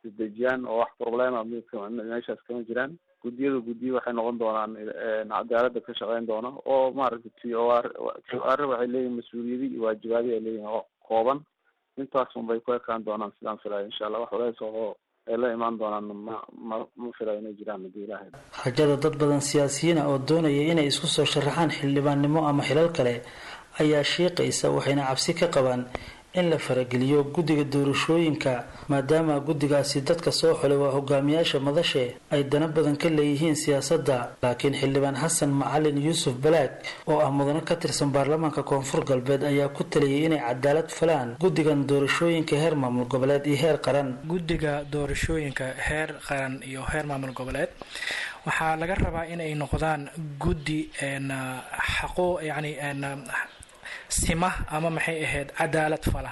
isdejiyaan oo wax problema meeshaas kama jiraan. Guddiyadu guddiyo waxay noqon doonaan cadaaladda ka shaqeyn doona oo maaragtay t o r t o r waxay leeyihin mas-uuliyadi iyo waajibaadi ay leeyihin oo kooban, intaas unbay ku ekaan doonaan sidaan filayo insha Allah. Wax walaas oo ay la imaan doonaan ma ma ma filayo inay jiraan haddii Ilaahay. Rajada dad badan siyaasiyiina oo doonaya inay isku soo sharaxaan xildhibaannimo ama xilal kale ayaa shiiqaysa, waxayna cabsi ka qabaan in la farageliyo guddiga doorashooyinka, maadaama guddigaasi dadka soo xulay waa hogaamiyaasha madashe ay dana badan ka leeyihiin siyaasadda. Laakiin xildhibaan Xasan Macalin Yuusuf Balaag oo ah mudano ka tirsan baarlamaanka Koonfur Galbeed ayaa ku taliyay inay cadaalad falaan guddigan doorashooyinka heer maamul goboleed iyo heer qaran. Guddiga doorashooyinka heer qaran iyo heer maamul goboleed waxaa laga rabaa inay noqdaan guddi xaqo, yacni sima ama maxay ahayd cadaalad fala.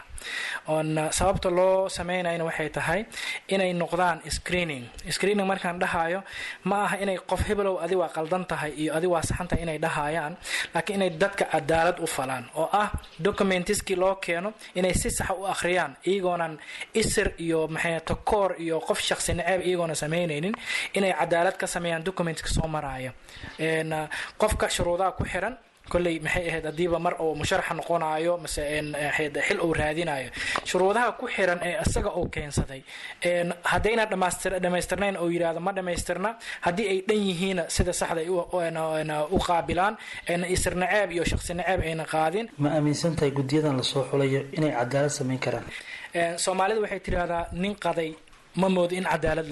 Oon sababta loo sameynayna waxay tahay inay noqdaan screening. Screening markaan dhahayo ma aha inay qof hebelow adi waa qaldan tahay iyo adi waa saxan tahay inay dhahayaan, laakiin inay dadka cadaalad u falaan oo ah documentiskii loo keeno inay si saxa u akhriyaan, iyagoonan isir iyo maxay takoor iyo qof shakhsi naceeb iyagoona sameynaynin, inay cadaalad ka sameeyaan documentka soo maraya qofka shuruudaha ku xiran. Kolley maxay ahayd haddiiba mar uu musharaxa noqonayo mase xil uu raadinayo, shuruudaha ku xiran ee isaga uu keensaday haddayna dhamaystir dhamaystirnayn uu yidhaahdo ma dhamaystirna, haddii ay dhan yihiinna sida saxda ay u qaabilaan, isir naceeb iyo shakhsi naceeb ayna qaadin. Ma aaminsan tahay guddiyadan lasoo xulayo inay cadaalad samayn karaan? Soomaalida waxay tidhaahdaa nin qaday ma moodo in cadaalad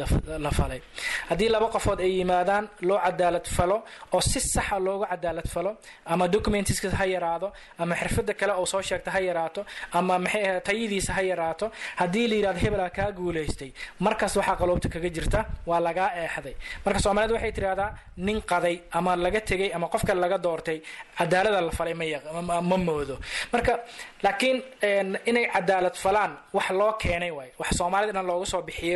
la falay. Haddii laba qofood ay yimaadaan loo cadaalad falo oo si saxa looga cadaalad falo, ama documentiska ha yaraado ama xirfada kale oo soo sheegta ha yaraato ama maxay ahayd tayadiisa ha yaraato, haddii la yidhahdo hebelaa kaa guulaystay, markaas waxaa qaloobta kaga jirta waa lagaa eexday. Marka Soomaalida waxay tidhahdaa nin qaday ama laga tegay ama qof kale laga doortay cadaalada la falay ma ma moodo. Marka laakiin inay cadaalad falaan wax loo keenay waay, wax Soomaalida dhan looga soo bixiyay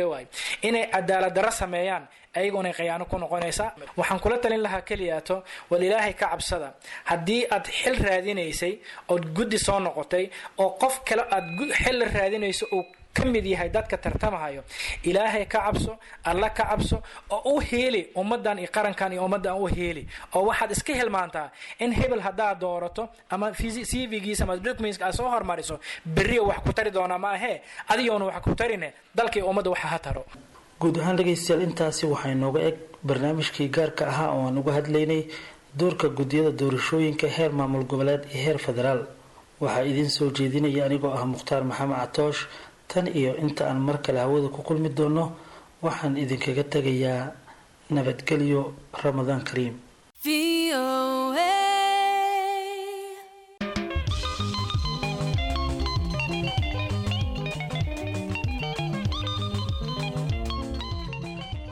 inay cadaalad darro sameeyaan ayagoonay khiyaano ku noqonaysaa. Waxaan kula talin lahaa keliyaato wal Ilaahay ka cabsada. Haddii aad xil raadinaysay ood guddi soo noqotay oo qof kale aad xil raadinayso uu ka mid yahay dadka tartamahayo, Ilaahay ka cabso, Alla ka cabso oo u heeli ummadan iyo qarankan iyo ummaddan u heeli, oo waxaad iska hilmaantaa in hebel haddaad doorato ama C V-giisa ama documents aad soo hormariso berriya wax ku tari doonaa. Ma ahee, adigoona wax ku tarine, dalka iyo ummadda waxa ha taro. Guud ahaan dhegaystayaal, intaasi waxaa inooga eg barnaamijkii gaarka ahaa oo aan uga hadlaynay doorka guddiyada doorashooyinka heer maamul goboleed iyo heer federaal. Waxaa idiin soo jeedinaya anigoo ah Mukhtaar Maxamed Catoosh. Tan iyo inta aan mar kale hawada ku kulmi doono, waxaan idinkaga tegayaa nabadgelyo, Ramadaan kariim.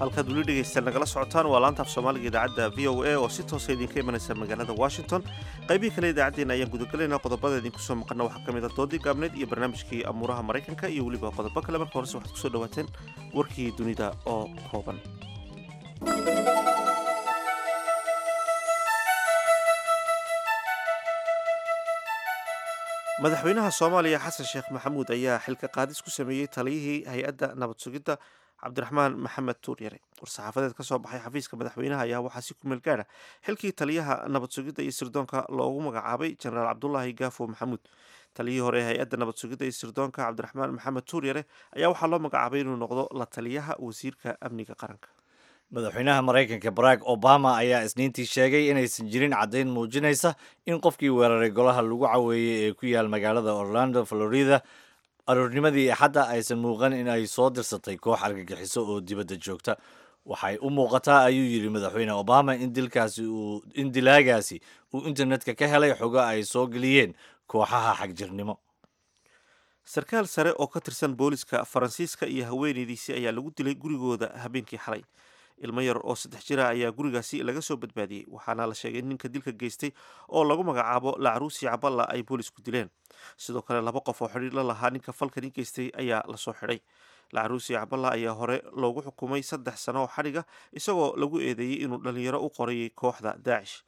Halkaad weli dhegaystayaal nagala socotaan waa laanta af Soomaaliga idaacadda V O A oo si toosa idinka imanaysa magaalada Washington. Qaybihii kale idaacaddeenna ayaan gudagalaynaa. Qodobada idinku soo maqana waxaa ka mid ah doodii gaabneed iyo barnaamijkii amuuraha Maraykanka iyo weliba qodobo kale. Marka horese waxaad kusoo dhawaateen warkii dunida oo kooban. Madaxweynaha Soomaaliya Xasan Sheekh Maxamuud ayaa xilka qaadis ku sameeyey taliyihii hay-adda nabad sugidda Cabdiraxmaan Maxamed Tuuryare. War-saxaafadeed ka soo baxay xafiiska madaxweynaha ayaa waxaa si ku meel gaara xilkii taliyaha nabad sugidda iyo sirdoonka loogu magacaabay Jenaraal Cabdulaahi Gaafo Maxamuud. Taliyihii hore ee hay-adda nabad sugidda iyo sirdoonka Cabdiraxmaan Maxamed Tuuryare ayaa waxaa loo magacaabay inuu noqdo la taliyaha wasiirka amniga qaranka. Madaxweynaha Maraykanka Barack Obama ayaa Isniintii sheegay inaysan jirin caddayn muujinaysa in qofkii weeraray golaha lagu caweeyey ee ku yaal magaalada Orlando, Florida, aroornimadii Axadda aysan muuqan in ay soo dirsatay koox argagixiso oo dibadda joogta. Waxay u muuqataa, ayuu yidhi madaxweyne Obama, in dilkaasi uu in dilaagaasi uu internetka ka helay xogo ay soo geliyeen kooxaha xagjirnimo. Sarkaal sare oo ka tirsan booliska Faransiiska iyo haweeneydiisii ayaa lagu dilay gurigooda habeenkii xalay. Ilmo yar oo saddex jira ayaa gurigaasi laga soo badbaadiyey, waxaana la sheegay in ninka dilka geystay oo lagu magacaabo Lacruusi Caballa ay boolisku dileen. Sidoo kale laba qof oo xidhiir la lahaa ninka falkani geystay ayaa lasoo xidhay. Lacruusi Caballa ayaa hore loogu xukumay saddex sano oo xadhiga, isagoo lagu eedeeyey inuu dhalinyaro u qorayay kooxda Daacish.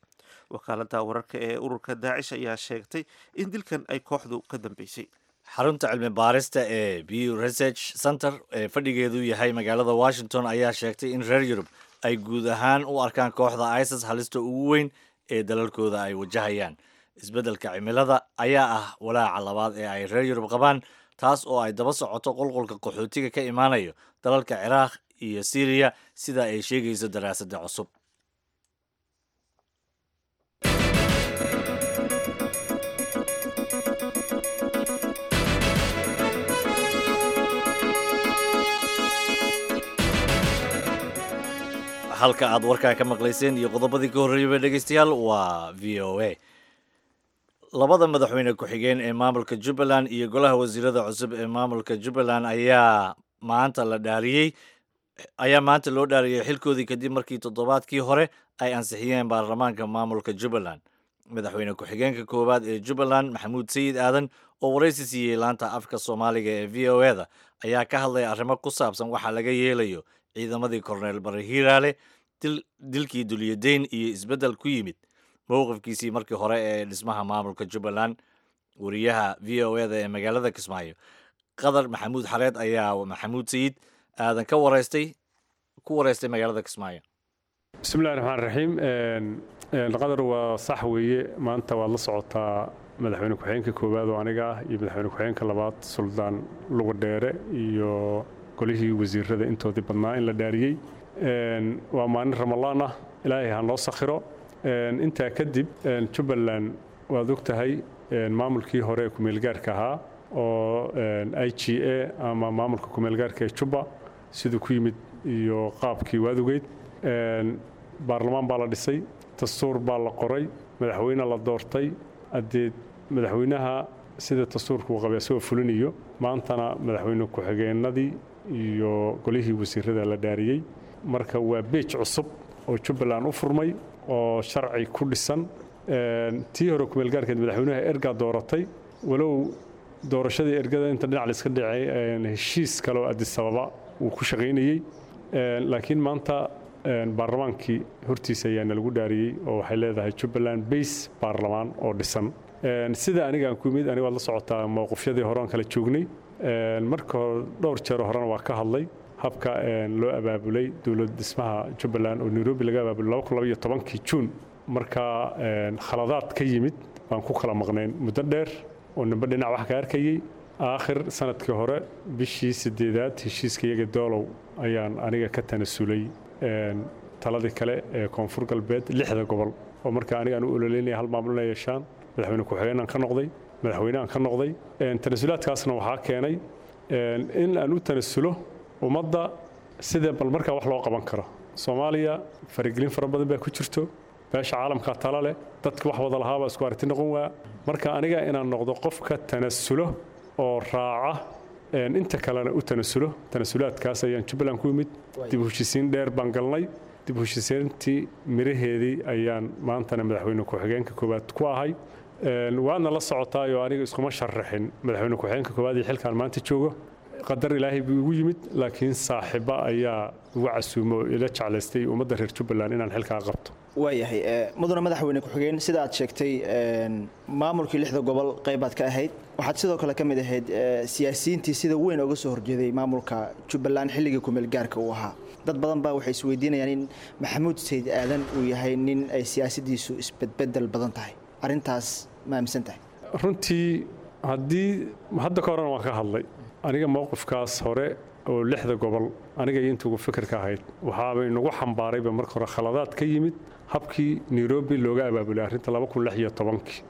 Wakaaladda wararka ee ururka Daacish ayaa sheegtay in dilkan ay kooxdu ka dambeysay. Xarunta cilmi baarista ee Pew Research Center ee fadhigeedu yahay magaalada Washington ayaa sheegtay in reer Yurub ay guud ahaan u arkaan kooxda ISIS halista ugu weyn ee dalalkooda ay wajahayaan. Isbeddelka cimilada ayaa ah walaaca labaad ee ay reer Yurub qabaan, taas oo ay daba socoto qulqulka qaxootiga ka imaanayo dalalka Ciraaq iyo Siiriya, sida ay sheegayso daraasadda cusub. Halka aad warkaa ka maqlayseen iyo qodobadii ka horreeyaba, dhegeystayaal, waa V O A. Labada madaxweyne ku-xigeen ee maamulka Jubbaland iyo golaha wasiirada cusub ee maamulka Jubbaland ayaa maanta la dhaariyey ayaa maanta loo dhaariyey xilkoodii, kadib markii toddobaadkii hore ay ansixiyeen baarlamaanka maamulka Jubbaland. Madaxweyne ku-xigeenka koowaad ee Jubbaland, Maxamuud Sayid Aadan, oo waraysi siiyey laanta afka Soomaaliga ee V O A da, ayaa ka hadlaya arrimo ku saabsan waxa laga yeelayo ciidamadii Korneyl Bare Hiiraale, dilkii Dulyadeyn iyo isbeddel ku yimid mowqifkiisii markii hore ee dhismaha maamulka Jubbaland. Wariyaha V O A da ee magaalada Kismaayo, Qadar Maxamuud Xareed, ayaa Maxamuud Sayid Aadan ka waraystay ku wareystay magaalada Kismaayo. Bismillahi raxmaan raxiim. Qadar, waa sax weeye. Maanta waad la socotaa, madaxweyne ku-xigeenka koowaad oo aniga ah iyo madaxweyne ku-xigeenka labaad Suldaan Lugadheere iyo golihii wasiirada intoodii badnaa in la dhaariyey. Waa maalin Ramalaan ah, Ilaahay ha noo sakhiro. Intaa kadib, Jubbaland waad og tahay, maamulkii hore ee kumeelgaarka ahaa oo I G A ama maamulka kumeelgaarka ee Jubba siduu ku yimid iyo qaabkii waad ogeyd. Baarlamaan baa la dhisay, dastuur baa la qoray, madaxweyne la doortay. Haddee madaxweynaha sida dastuurka uu qabay asagoo fulinayo, maantana madaxweyne ku-xigeenadii iyo golihii wasiirada la dhaariyey. Marka waa beej cusub oo Jubbaland u furmay oo sharci ku dhisan. Tii hore kumeelgaarkeed madaxweynaha ergaa dooratay, walow doorashadii ergada inta dhinac la iska dhacay heshiis kale oo Addis Ababa uu ku shaqaynayey, laakiin maanta baarlamaankii hortiisa ayaana lagu dhaariyey oo waxay leedahay Jubbaland base baarlamaan oo dhisan. Sida aniga aan ku yimid, aniga waad la socotaa mowqifyadii hore aan kala joognay. Marka hore dhowr jeer horena waa ka hadlay habka loo abaabulay dowlad dhismaha Jubbaland oo Nairobi laga abaabulay laba kun laba iyo tobankii Juun. Marka khaladaad ka yimid baan ku kala maqnayn muddo dheer oo nimba dhinac wax ka arkayay. Aakhir sanadkii hore bishii sideedaad heshiiska iyaga Doolow ayaan aniga ka tanasulay taladii kale ee Koonfur Galbeed lixda gobol, oo marka aniga aan u ololeynaya hal maamul inay yeeshaan. Madaxweyne ku-xigeenaan ka noqday, madaxweyne aan ka noqday. Tanasulaadkaasna waxaa keenay in aan u tanasulo ummadda sida bal markaa wax loo qaban karo. Soomaaliya faragelin fara badan baa ku jirto, beesha caalamkaa tala leh, dadka wax wada lahaabaa isku aragti noqon waa. Marka aniga inaan noqdo qofka tanasulo oo raaca inta kalena u tanasulo, tanasulaadkaas ayaan Jubbaland ku yimid. Dib u heshiisiin dheer baan galnay, dib u heshiisiintii miraheedii ayaan maantana madaxweyne ku-xigeenka koowaad ku ahay. Waadna la socotaayoo aniga iskuma sharaxin madaxweyne ku-xigeenka koowaad iyo xilkaan maanta joogo, qadar ilaahay buu igu yimid, laakiin saaxiiba ayaa igu casuumo oo ila jeclaystay ummadda reer Jubbaland inaan xilkaa qabto. Waayahay mudane madaxweyne ku-xigeen, sida aad sheegtay maamulkii lixda gobol qaybaad ka ahayd, waxaad sidoo kale ka mid ahayd siyaasiyiintii sida weyn uga soo horjeeday maamulka Jubbaland xilligii kumeel gaarka uu ahaa. Dad badan baa waxay isweydiinayaan in Maxamuud Sayid Aadan uu yahay nin ay siyaasaddiisu isbedbedel badan tahay, arrintaas ma aaminsan tahay? Runtii haddii hadda ka horena waan ka hadlay aniga mowqifkaas hore oo lixda gobol, aniga iyo intuugu fikirka ahayd waxaabay nagu xambaarayba marka hore khaladaad ka yimid habkii Nairobi looga abaabulay arrinta laba kun lix iyo tobankii.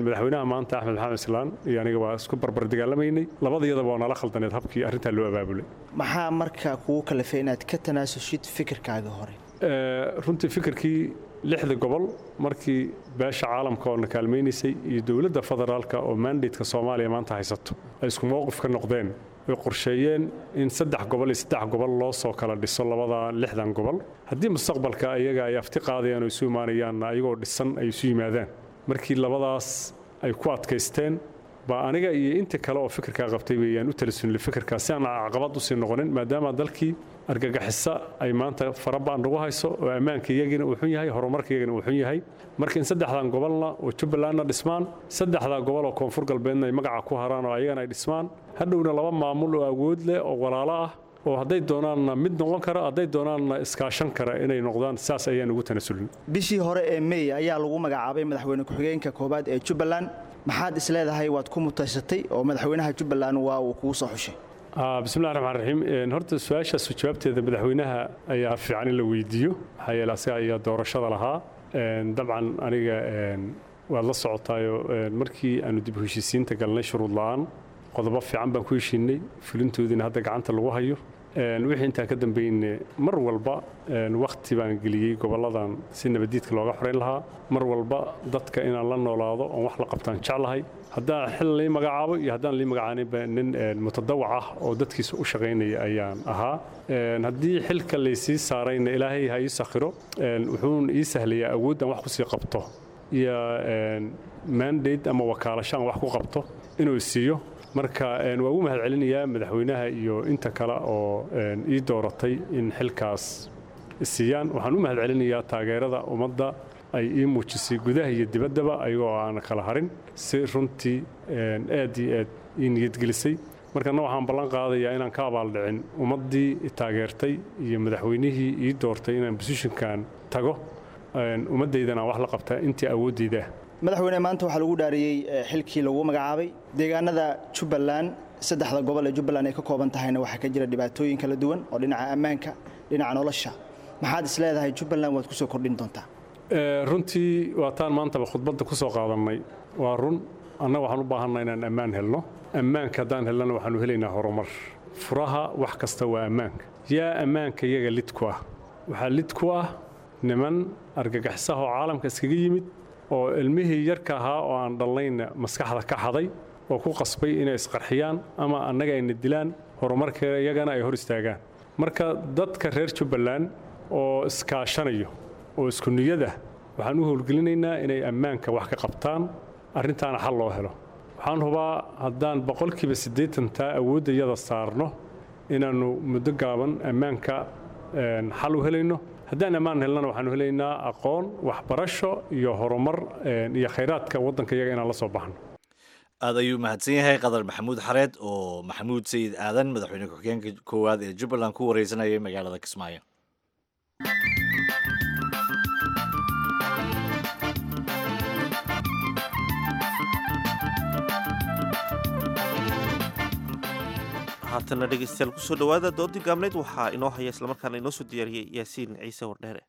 Madaxweynaha maanta Axmed Maxamed Islaan iyo aniga waa isku barbar dagaalamaynay, labadayadaba waa nala khaldaneed habkii arrintaa loo abaabulay. Maxaa marka kugu kalifay inaad ka tanaasushid fikirkaaga hore? Runtii fikirkii lixda gobol markii beesha caalamka oo na kaalmaynaysay iyo dowladda federaalka oo mandateka Soomaaliya maanta haysato ay isku mowqif ka noqdeen, way qorsheeyeen in saddex gobol iyo saddex gobol loo soo kala dhiso labada lixdan gobol, haddii mustaqbalka ayaga ay afti qaadayaan oo isu imaanayaanna ayagoo dhisan ay isu yimaadaan. Markii labadaas ay ku adkaysteen baa aniga iyo inta kale oo fikirkaa qabtay weeyaan u talasunlay fikirkaas si aan caqabad usii noqonin, maadaama dalkii argagixisa ay maanta farabaan nagu hayso oo ammaanka iyagina uu xun yahay, horumarka iyagina uu xun yahay. Marka in saddexdan gobolna oo Jubbalandna dhismaan, saddexdaa gobol oo Koonfur Galbeedna ay magaca ku haraan oo ayagana ay dhismaan, hadhowna laba maamul oo awood leh oo walaalo ah oo hadday doonaanna mid noqon kara, hadday doonaanna iskaashan kara inay noqdaan, saas ayaan ugu tanasulin. Bishii hore ee May ayaa lagu magacaabay madaxweyne ku-xigeenka koowaad ee Jubbaland. Maxaad isleedahay waad ku mutaysatay oo madaxweynaha Jubbaland waa uu kugu soo xushay? Bismillahi raxmaan raxiim. Horta su-aashaas jawaabteeda madaxweynaha ayaa fiican in la weydiiyo, maxaa yeele asaga ayaa doorashada lahaa. Dabcan aniga waad la socotaayo markii aanu dib u heshiisiinta galnay shuruud la-aan qodobo fiican baan ku heshiinay, fulintoodiina hadda gacanta lagu hayo. Wixii intaa ka dambeynne mar walba wakhti baan geliyey gobolladan si nabadiidka looga xoreyn lahaa. Mar walba dadka inaan la noolaado oon wax la qabtaan jeclahay. Haddaan xil lii magacaabo iyo haddaan lii magacaaninba nin mutadawac ah oo dadkiisa u shaqaynaya ayaan ahaa. Haddii xilka laysii saarayna ilaahay ha ii sakhiro, wuxuun ii sahlayaa awood aan wax kusii qabto iyo mandate ama wakaalasho aan wax ku qabto inuu siiyo. Marka waa ugu mahad celinayaa madaxweynaha iyo inta kale oo ii dooratay in xilkaas siiyaan. Waxaan u mahad celinayaa taageerada ummadda ay ii muujisay gudaha iyo dibaddaba ayagoo aan kala harin, si runtii aad iyo aad ii niyadgelisay. Markana waxaan ballan qaadayaa inaan ka abaaldhicin ummaddii i taageertay iyo madaxweynihii ii doortay inaan bosishinkan tago, ummaddaydana aan wax la qabtaa intii awooddayda ah. Madaxweyne, maanta waxaa lagu dhaariyey xilkii lagu magacaabay deegaanada Jubbaland. Saddexda gobol ee Jubbaland ay ka kooban tahayna waxaa ka jira dhibaatooyin kala duwan oo dhinaca ammaanka, dhinaca nolosha. Maxaad is leedahay Jubbaland waad kusoo kordhin doontaa? Runtii waa taan maantaba khudbadda ku soo qaadannay. Waa run, annaga waxaan u baahanna inaan ammaan helno. Ammaanka haddaan helnana waxaanu helaynaa horumar. Furaha wax kasta waa ammaanka. Yaa ammaanka iyaga lid ku ah? Waxaa lid ku ah niman argagaxisaha oo caalamka iskaga yimid oo ilmihii yarka ahaa oo aan dhalnayna maskaxda ka xaday oo ku qasbay inay isqarxiyaan ama annaga ayna dilaan, horumarka iyagana ay hor istaagaan. Marka dadka reer Jubbaland oo iskaashanayo oo isku niyada waxaan u howlgelinaynaa inay ammaanka wax ka qabtaan, arrintaana xal loo helo. Waxaan hubaa haddaan boqolkiiba siddeetantaa awoodda iyada saarno inaannu muddo gaaban ammaanka xal u helayno. Haddaan ammaan helnana waxaanu helaynaa aqoon, waxbarasho iyo horumar iyo khayraadka waddanka iyaga inaan la soo baxno. Aad ayuu mahadsan yahay Qadar Maxamuud Xareed oo Maxamuud Sayid Aadan, madaxweyne ku-xigeenka koowaad ee Jubbaland, ku wareysanayay magaalada Kismaayo. Haatanna dhegeystayaal, kusoo dhawaada doodii gaabneyd. Waxaa inoo haya islamarkaana inoo soo diyaariyey Yaasiin Ciise Wardheere.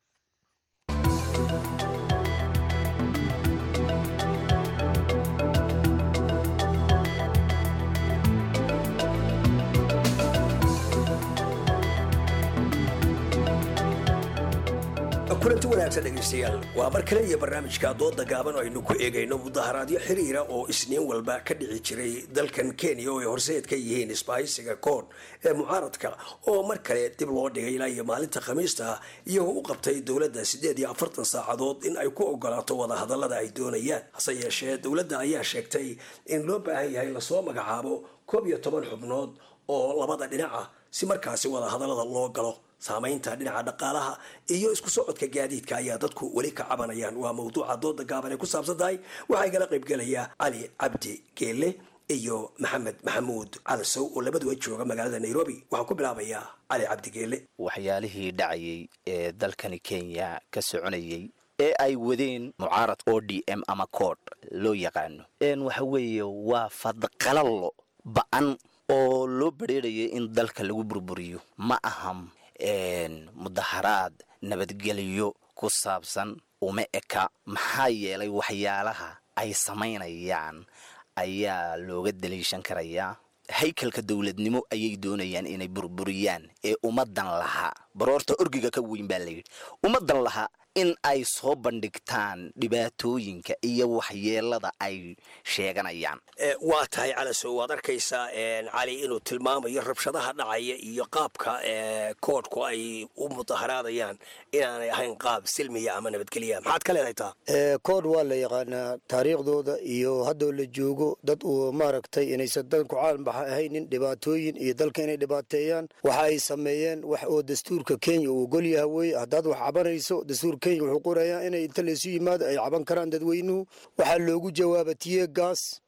Kulanti wanaagsan dhegaystayaal, waa mar kale iyo barnaamijka dooda gaaban oo aynu ku eegayno mudaharaadyo xiriira oo Isniin walba ka dhici jiray dalkan Kenya oo ay horseed ka yihiin isbahaysiga koon ee mucaaradka, oo mar kale dib loo dhigay ilaa iyo maalinta Khamiista, iyagoo u qabtay dowladda siddeed iyo afartan saacadood in ay ku ogolaato wadahadallada ay doonayaan. Hase yeeshee dowladda ayaa sheegtay in loo baahan yahay lasoo magacaabo koob iyo toban xubnood oo labada dhinaca si markaasi wadahadallada loo galo. Saamaynta dhinaca dhaqaalaha iyo isku socodka gaadiidka ayaa dadku weli ka cabanayaan. Waa mawduuca dooda gaaban ay ku saabsan tahay. Waxaa igala qaybgelaya Cali Cabdi Geele iyo Maxamed Maxamuud Calasow oo labaduba jooga magaalada Nairobi. Waxaan ku bilaabayaa Cali Cabdi Geele. Waxyaalihii dhacayay ee dalkani Kenya ka soconayay ee ay wadeen mucaarad O D M ama kood loo yaqaano, waxa weeye waa fadqalallo ba-an oo loo badheerayay in dalka lagu burburiyo. Ma aham mudaharaad nabadgelyo ku saabsan, uma eka, maxaa yeelay waxyaalaha ay samaynayaan ayaa looga daliishan karayaa. Haykalka dowladnimo ayay doonayaan inay burburiyaan ee ummadan lahaa baroorta orgiga ka weyn baa layidhi, ummadan lahaa in ay soo bandhigtaan dhibaatooyinka iyo waxyeelada ay sheeganayaan. Waa tahay Calasow, waad arkaysaa Cali inuu tilmaamayo rabshadaha dhacaya iyo qaabka koodhku ay u mudaharaadayaan inaanay ahayn qaab silmiya ama nabadgelya. Maxaad ka leedahay taa? Koodh waa la yaqaanaa taariikhdooda iyo haddoo la joogo dad uu maaragtay inaysan danku caalambaxa ahaynin dhibaatooyin iyo dalka inay dhibaateeyaan. Waxa ay sameeyeen wax oo dastuurka Kenya uu ogol yahay weye. Haddaad wax cabanayso, dastuurka Kenya wuxuu qorayaa inay inta laysu yimaado ay caban karaan dadweynuhu. Waxaa loogu jawaaba tiye gaas,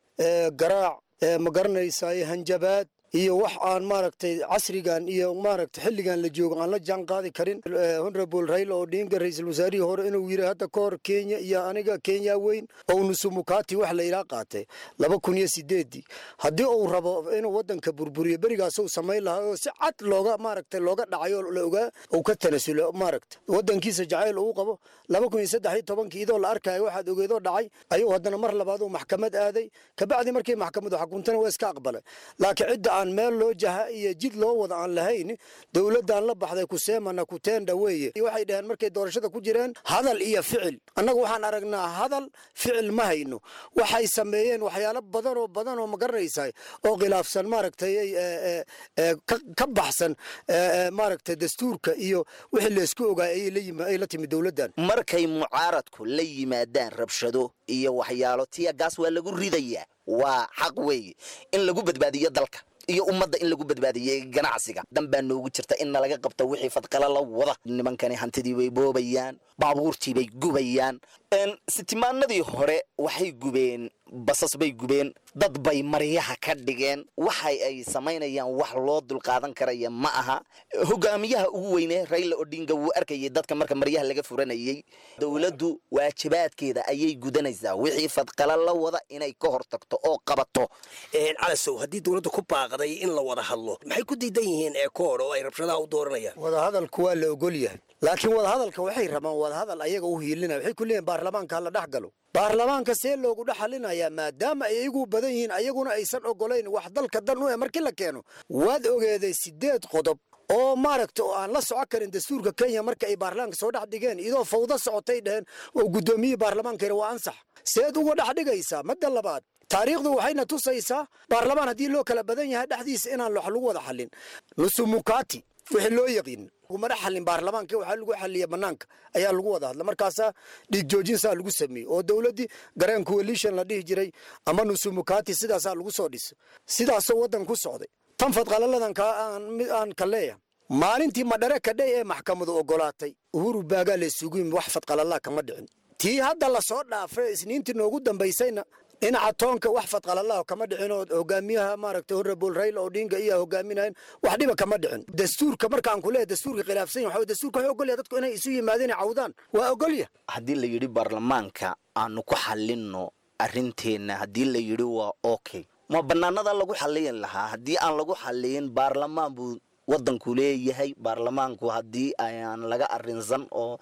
garaac, ma garanaysaay, hanjabaad iyo wax aan maaragtay casrigan iyo maaragtay xilligan la joogo aan la jaan qaadi karin. Honorable Raila Odinga, ra'iisul wasaarihii hore, inuu yiri hadda ka hor Kenya iyo aniga Kenya weyn oo nusumukati wax la ilaa qaatay laba kun iyo sideedii. Haddii uu rabo inuu wadanka burburiyo, berigaas uu samayn lahaa oo si cad looga maaragtay looga dhacay oo la ogaa uu ka tanasulo maaragtay wadankiisa jacayl uu qabo. laba kun iyo saddex iyo tobankii idoo la arkayo waxaad ogeedoo dhacay ayuu haddana mar labaad uu maxkamad aaday. Kabacdi markii maxkamadu xukuntana waa iska aqbalay, laakiin cidda aan meel loo jaha iyo jid loo wada aan lahayn dowladdan la baxday kuseemana kuteenda weeye. Waxay dhaheen markay doorashada ku jireen hadal iyo ficil. Annagu waxaan aragnaa hadal, ficil ma hayno. Waxay sameeyeen waxyaalo badan oo badan oo ma garanaysaa oo khilaafsan maaragtay ka baxsan maaragtay dastuurka iyo wixii laysku ogaay ayay la timi dowladdan. Markay mucaaradku la yimaadaan rabshado iyo waxyaalo, tiya gaas waa lagu ridayaa, waa xaq weeye in lagu badbaadiyo dalka iyo ummadda, in lagu badbaadiyey ganacsiga. Dan baa noogu jirta in nalaga qabto wixii fadqala la wada. Nimankani hantidii bay boobayaan, baabuurtii bay gubayaan. Sitimaanadii hore waxay gubeen basas bay gubeen, dad bay maryaha ka dhigeen. Waxay ay samaynayaan wax loo dulqaadan karaya ma aha. Hogaamiyaha ugu weyne Raila Odinga wuu arkayay dadka marka maryaha laga furanayay. Dowladdu waajibaadkeeda ayay gudanaysaa, wixii fadqala la wada inay ka hortagto oo qabato. Calasow, haddii dowladdu ku baaqday in la wada hadlo, maxay ku diidan yihiin ee koodh oo ay rabshadaha u dooranayaan? Wadahadalku waa la ogol yahay, laakiin wadahadalka waxay rabaan wadahadal ayaga u hiilinaya. Waxay ku leeyihin baarlamaanka hala dhex galo. Baarlamaanka see loogu dhex xalinayaa maadaama ay iyagu badan yihiin, ayaguna aysan ogolayn wax dalka dan u eh markii la keeno? Waad ogeeday sideed qodob oo maaragta oo aan la socon karin dastuurka Kenya marka ay baarlamaanka soo dhex dhigeen, iyadoo fawdo socotay dheheen oo guddoomiyihii baarlamaanka yidhi waa ansax. Seed uga dhex dhigaysaa? Madda labaad, taariikhdu waxayna tusaysaa baarlamaan haddii loo kala badan yahay dhexdiisa inaan wax lagu wada xallin. Nusumukati wixii loo yaqiin laguma dhex xallin baarlamaanka, waxaa lagu xalliya banaanka ayaa lagu wada hadla. Markaasaa dhiig joojinsaa lagu sameeyey oo dowladdii Grand Coalition la dhihi jiray ama nusumukati sidaasaa lagu soo dhisay, sidaasoo waddan ku socday. Tan fadqalaladan aan ka leeyahay, maalintii Madhare kadhay ee maxkamadu ogolaatay Uhuru baagaa la isugu yimi, wax fadqalalaa kama dhicin. Tii hadda lasoo dhaafay Isniintii noogu dambaysayna Dhinaca toonka wax fadqalalaho kama dhicin oo hogaamiyaha maaragtay Honorable Raila Odinga iyo hogaaminayn wax dhiba kama dhicin. Dastuurka markaan ku leeyahay dastuurka khilaafsan yahay, waxa dastuurka wuxuu ogol yahay dadku inay isu yimaadeen cawdaan, waa ogol yahay. Haddii la yidhi baarlamaanka aanu ku xalinno arrinteenna, haddii la yidhi waa okay, ma bannaanada lagu xaliyin lahaa? Haddii aan lagu xaliyin, baarlamaan buu waddanku leeyahay. Baarlamaanku haddii ayaan laga arrinsan oo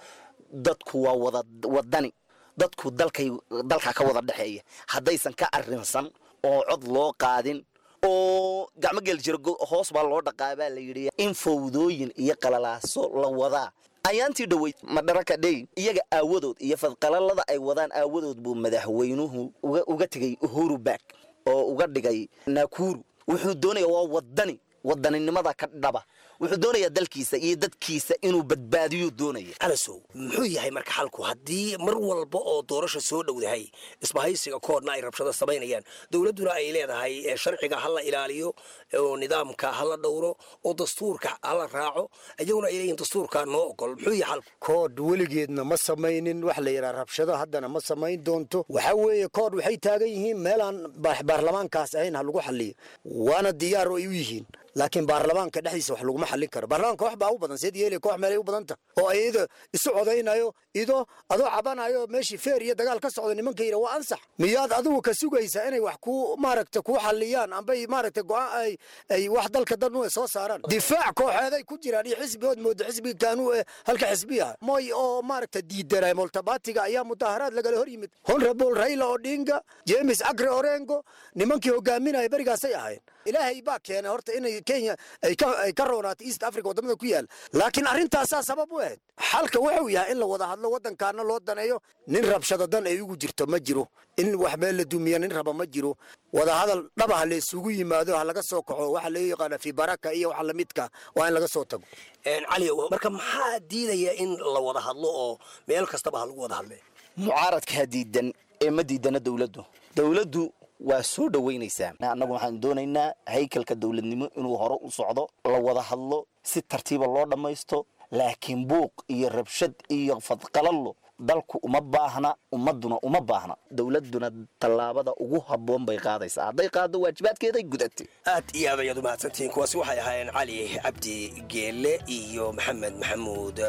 dadku waa wada wadani, dadku dalkay dalka ka wada dhexeeya, haddaysan ka arrinsan oo cod loo qaadin oo gacmo gel jiro hoos baa loo dhaqaa baa la yidhi, in fowdooyin iyo qalalaaso la wadaa. Ayaantii dhoweyd Madaraka Day iyaga aawadood iyo fadqalalada ay wadaan aawadood buu madaxweynuhu uga tegay Uhuru Park oo uga dhigay Nakuru. Wuxuu doonayaa waa wadani, wadaninimada ka dhaba, wuxuu doonayaa dalkiisa iyo dadkiisa inuu badbaadiyo doonaya. Calasow, muxuu yahay marka xalku haddii mar walba oo doorasha soo dhowdahay isbahaysiga koodna ay rabshado samaynayaan, dowladduna ay leedahay sharciga ha la ilaaliyo oo nidaamka ha la dhowro oo dastuurka ha la raaco, iyaguna ay leeyihin dastuurka noo ogol, muxuu yahay xalku? Kood weligeedna ma samaynin wax la yidhaha rabshado, haddana ma samayn doonto. Waxa weeye kood waxay taagan yihiin meelaan baarlamaankaas ahayn ha lagu xaliyo, waana diyaar oo ay u yihiin, laakiin baarlamaanka dhexdiisa wax laguma xallin karo. Baarlamaanka wax baa u badan seed yeelay, koox meelay u badanta oo iyada isu codaynayo, ido adoo cabanayo meeshii feer iyo dagaal ka socda, nimanka yidha waa ansax. Miyaad adigu ka sugaysaa inay wax ku maaragta ku xalliyaan ambay maaragta go'aan ay ay wax dalka dan u soo saaraan? Difaac kooxeeday ku jiraan iyo xisbigood moodo xisbiga kaanuu ee halka xisbiyaha Moy oo maaragta diidanay multiparty-ga ayaa mudaharaad lagala hor yimid. Honorable Raila Odinga, James Agre Orengo, nimankii hogaaminaya berigaasay ahayn. Ilaahay baa keenay horta inay Kenya ay ka ay ka roonaato East Africa wadamada ku yaal, laakiin arrintaasaa sabab u ahayd. Xalka wuxuu yahay in la wada hadlo, waddankaana loo daneeyo. Nin rabshado dan ay ugu jirto ma jiro, in wax meel la dumiya nin raba ma jiro. Wada hadal dhaba ha la isugu yimaado, ha laga soo kaco waxa loo yaqaana fi baraka iyo waxa lamidka, waa in laga soo tago. Cali, marka maxaa diidaya in la wada hadlo oo meel kastaba ha lagu wada hadle? Mucaaradkaa diidan ee ma diidana dowladdu. Dowladdu waa soo dhoweynaysaa. Annagu waxaan doonaynaa haykalka dowladnimo inuu hore u socdo, la wada hadlo, si tartiiba loo dhammaysto, laakiin buuq iyo rabshad iyo fadqalallo dalku uma baahna, ummadduna uma baahna. Dowladduna tallaabada ugu habboon bay qaadaysaa, hadday qaaddo waajibaadkeeday gudatay. Aad iyo aad ayaad u mahadsantihiin. Kuwaasi waxay ahaayeen Cali Cabdi Geele iyo Maxamed Maxamuud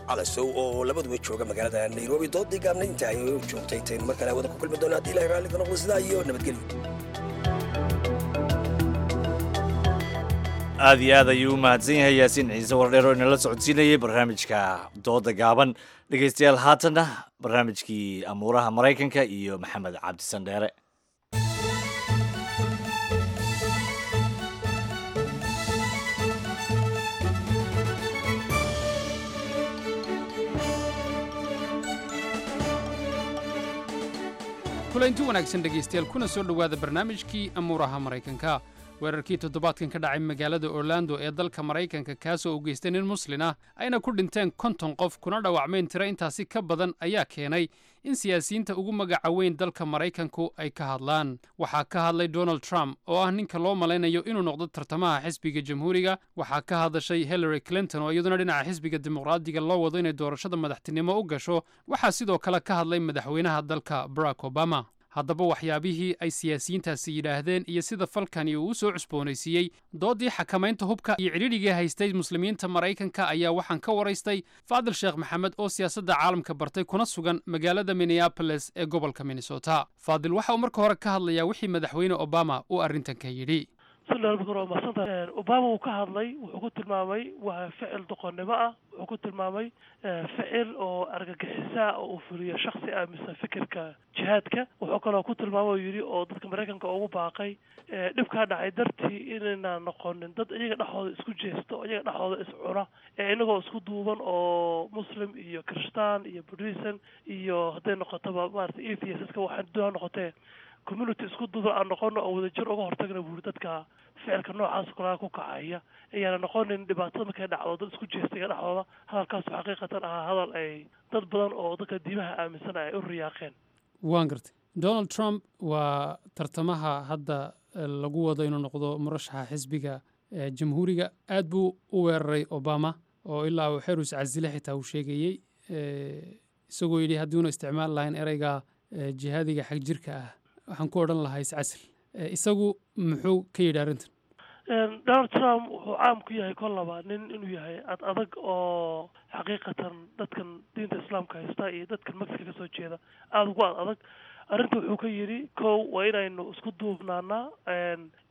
Calasow oo labaduba jooga magaalada Nairobi. Doodii gaabna inta ay joogtay intaynu mar kale hawada ku kulmi doona haddii Ilahay raalli ka noqdo, sidaa iyo nabadgelyo. Aad iyo aad ayuu u mahadsan yahay Yaasiin Ciise Wardheer oo inala socodsiinayay barnaamijka dooda gaaban. Dhegeystayaal, haatanna barnaamijkii amuuraha Maraykanka iyo Maxamed Cabdisandheere. Kulanti wanaagsan dhegaystayaal, kuna soo dhowaada barnaamijkii amuuraha Maraykanka. Weerarkii toddobaadkan ka dhacay magaalada Orlando ee dalka Maraykanka, kaasoo u geystay nin muslin ah ayna ku dhinteen konton qof kuna dhaawacmeen tiro intaasi ka badan, ayaa keenay in siyaasiyiinta ugu magaca weyn dalka Maraykanku ay ka hadlaan. Waxaa ka hadlay Donald Trump oo ah ninka loo malaynayo inuu noqdo tartamaha xisbiga Jamhuuriga. Waxaa ka hadashay Hillary Clinton oo iyaduna dhinaca xisbiga Dimuqraadiga loo wado inay doorashada madaxtinimo u gasho. Waxaa sidoo kale ka hadlay madaxweynaha dalka Barack Obama. Haddaba waxyaabihii ay siyaasiyiintaasi yidhaahdeen iyo sida falkani uu u soo cusboonaysiiyey doodii xakamaynta hubka iyo cidhidhigii haystay muslimiinta Maraykanka ayaa waxaan ka waraystay Faadil Sheekh Maxamed oo siyaasadda caalamka bartay kuna sugan magaalada Minneapolis ee gobolka Minnesota. Faadil waxa uu marka hore ka hadlayaa wixii madaxweyne Obama uu arrintan ka yidhi. Waa Obama uu ka hadlay, wuxuu ku tilmaamay waa ficil doqonnimo ah, wuxuu ku tilmaamay ficil oo argagixisa oo uu fuliyo shaksi aaminsan fikirka jihaadka. Wuxuu kaloo ku tilmaamay oo yidhi oo dadka Maraykanka ugu baaqay dhibkaa dhacay dartii inaynaan noqonin dad iyaga dhexdooda isku jeesto, iyaga dhexdooda is cuna, ee inagoo isku duuban oo Muslim iyo Kirishtaan iyo Buddhism iyo hadday noqotoba maaragtay atheists waxay doon noqotee community isku duuban aan noqono oo wadajir uga hortagna buuri dadka ficilka noocaas kulaa ku kacaya, ayaana noqonin dhibaatada markay dhacdo dad isku jeestay dhexdooda. Hadalkaasu xaqiiqatan ahaa hadal ay dad badan oo dadka diimaha aaminsan ay u riyaaqeen. Waan gartay. Donald Trump waa tartamaha hadda lagu wado inuu noqdo murashaxa xisbiga Jamhuuriga. Aad buu u weeraray Obama oo ilaa uu xeer iscasile xitaa uu sheegayey, isagoo yidhi haddiuna isticmaal lahayn ereyga jihaadiga xagjirka ah Waxaan ku odhan lahaa iscasil. Isagu muxuu ka yidhi arrintan? Donald Trump wuxuu caam ku yahay kollaba nin inuu yahay ad adag oo xaqiiqatan dadkan diinta islaamka haysta iyo dadkan Mexico kasoo jeeda aada ugu ad adag. Arrinta wuxuu ka yidhi, kow, waa inaynu isku duubnaanaa,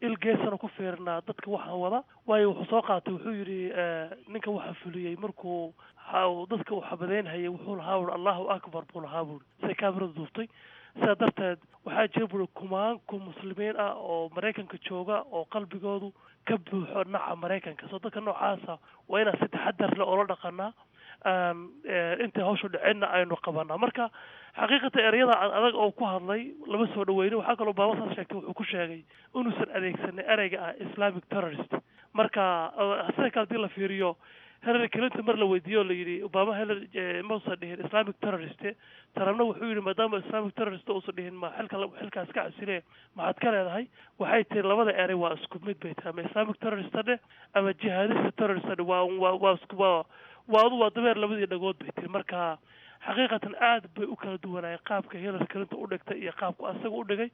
il geesana ku fiirnaa dadka waxaan wada. Waayo, wuxuu soo qaatay, wuxuu yidhi ninka waxa fuliyey markuu dadka uu xabadeynhayay wuxuu lahaa buri "Allahu akbar" buu lahaa buri, siday kaamiradu duubtay. Sidaa darteed waxaa jira buri kumaanku muslimiin ah oo Maraykanka jooga oo qalbigoodu ka buuxo naca Maraykanka. Soo dadka noocaasa waa inaan si taxadar leh oola dhaqanaa, intay hawshu dhicinna aynu qabanaa. Marka xaqiiqata ereyada ad adag oo ku hadlay lama soo dhaweynin. Waxaa kaloo Obama saas sheegtay, wuxuu ku sheegay inuusan adeegsanin ereyga ah Islamic terrorist. Marka sida kale hadii la fiiriyo, Hillary Clinton mar la weydiiyo o la yidhi Obama Hillary mausan dhihin Islamic terrorist, Trumpna wuxuu yidhi maadaama Islamic terrorist uusan dhihin, ma xilka xilkaas ka casile maxaad ka leedahay? Waxay tiri labada erey waa isku mid bay tahay, ama Islamic terrorist dheh ama jihadista terrorist dheh, waa waa waa isku waa waa adu waa dabeer labadii dhagood bay tiri. Marka xaqiiqatan aad bay u kala duwanaayeen qaabka Hillary Clinton u dhigtay iyo qaabku asaga u dhigay.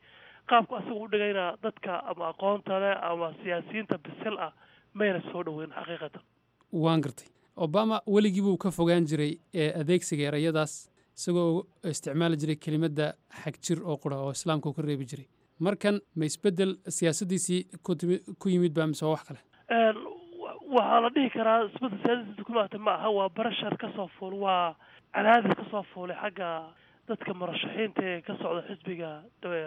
Qaabku asaga u dhigayna dadka ama aqoonta leh ama siyaasiyiinta bisil ah mayna soo dhaweyn xaqiiqatan. Waan gartay. Obama weligii buu ka fogaan jiray ee adeegsiga ereyadaas, isagoo isticmaali jiray kelimadda xagjir oo qura oo islaamka uu ka reebi jiray. Markan ma isbeddel siyaasaddiisii kutimi ku yimid baa mise waa wax kale? Waxaa la dhihi karaa isbeddel siyaasadiisa ku imaatay ma aha, waa pressure ka soo fuul, waa cadaadis ka soo fuulay xagga dadka murashaxiinta ee ka socda xisbiga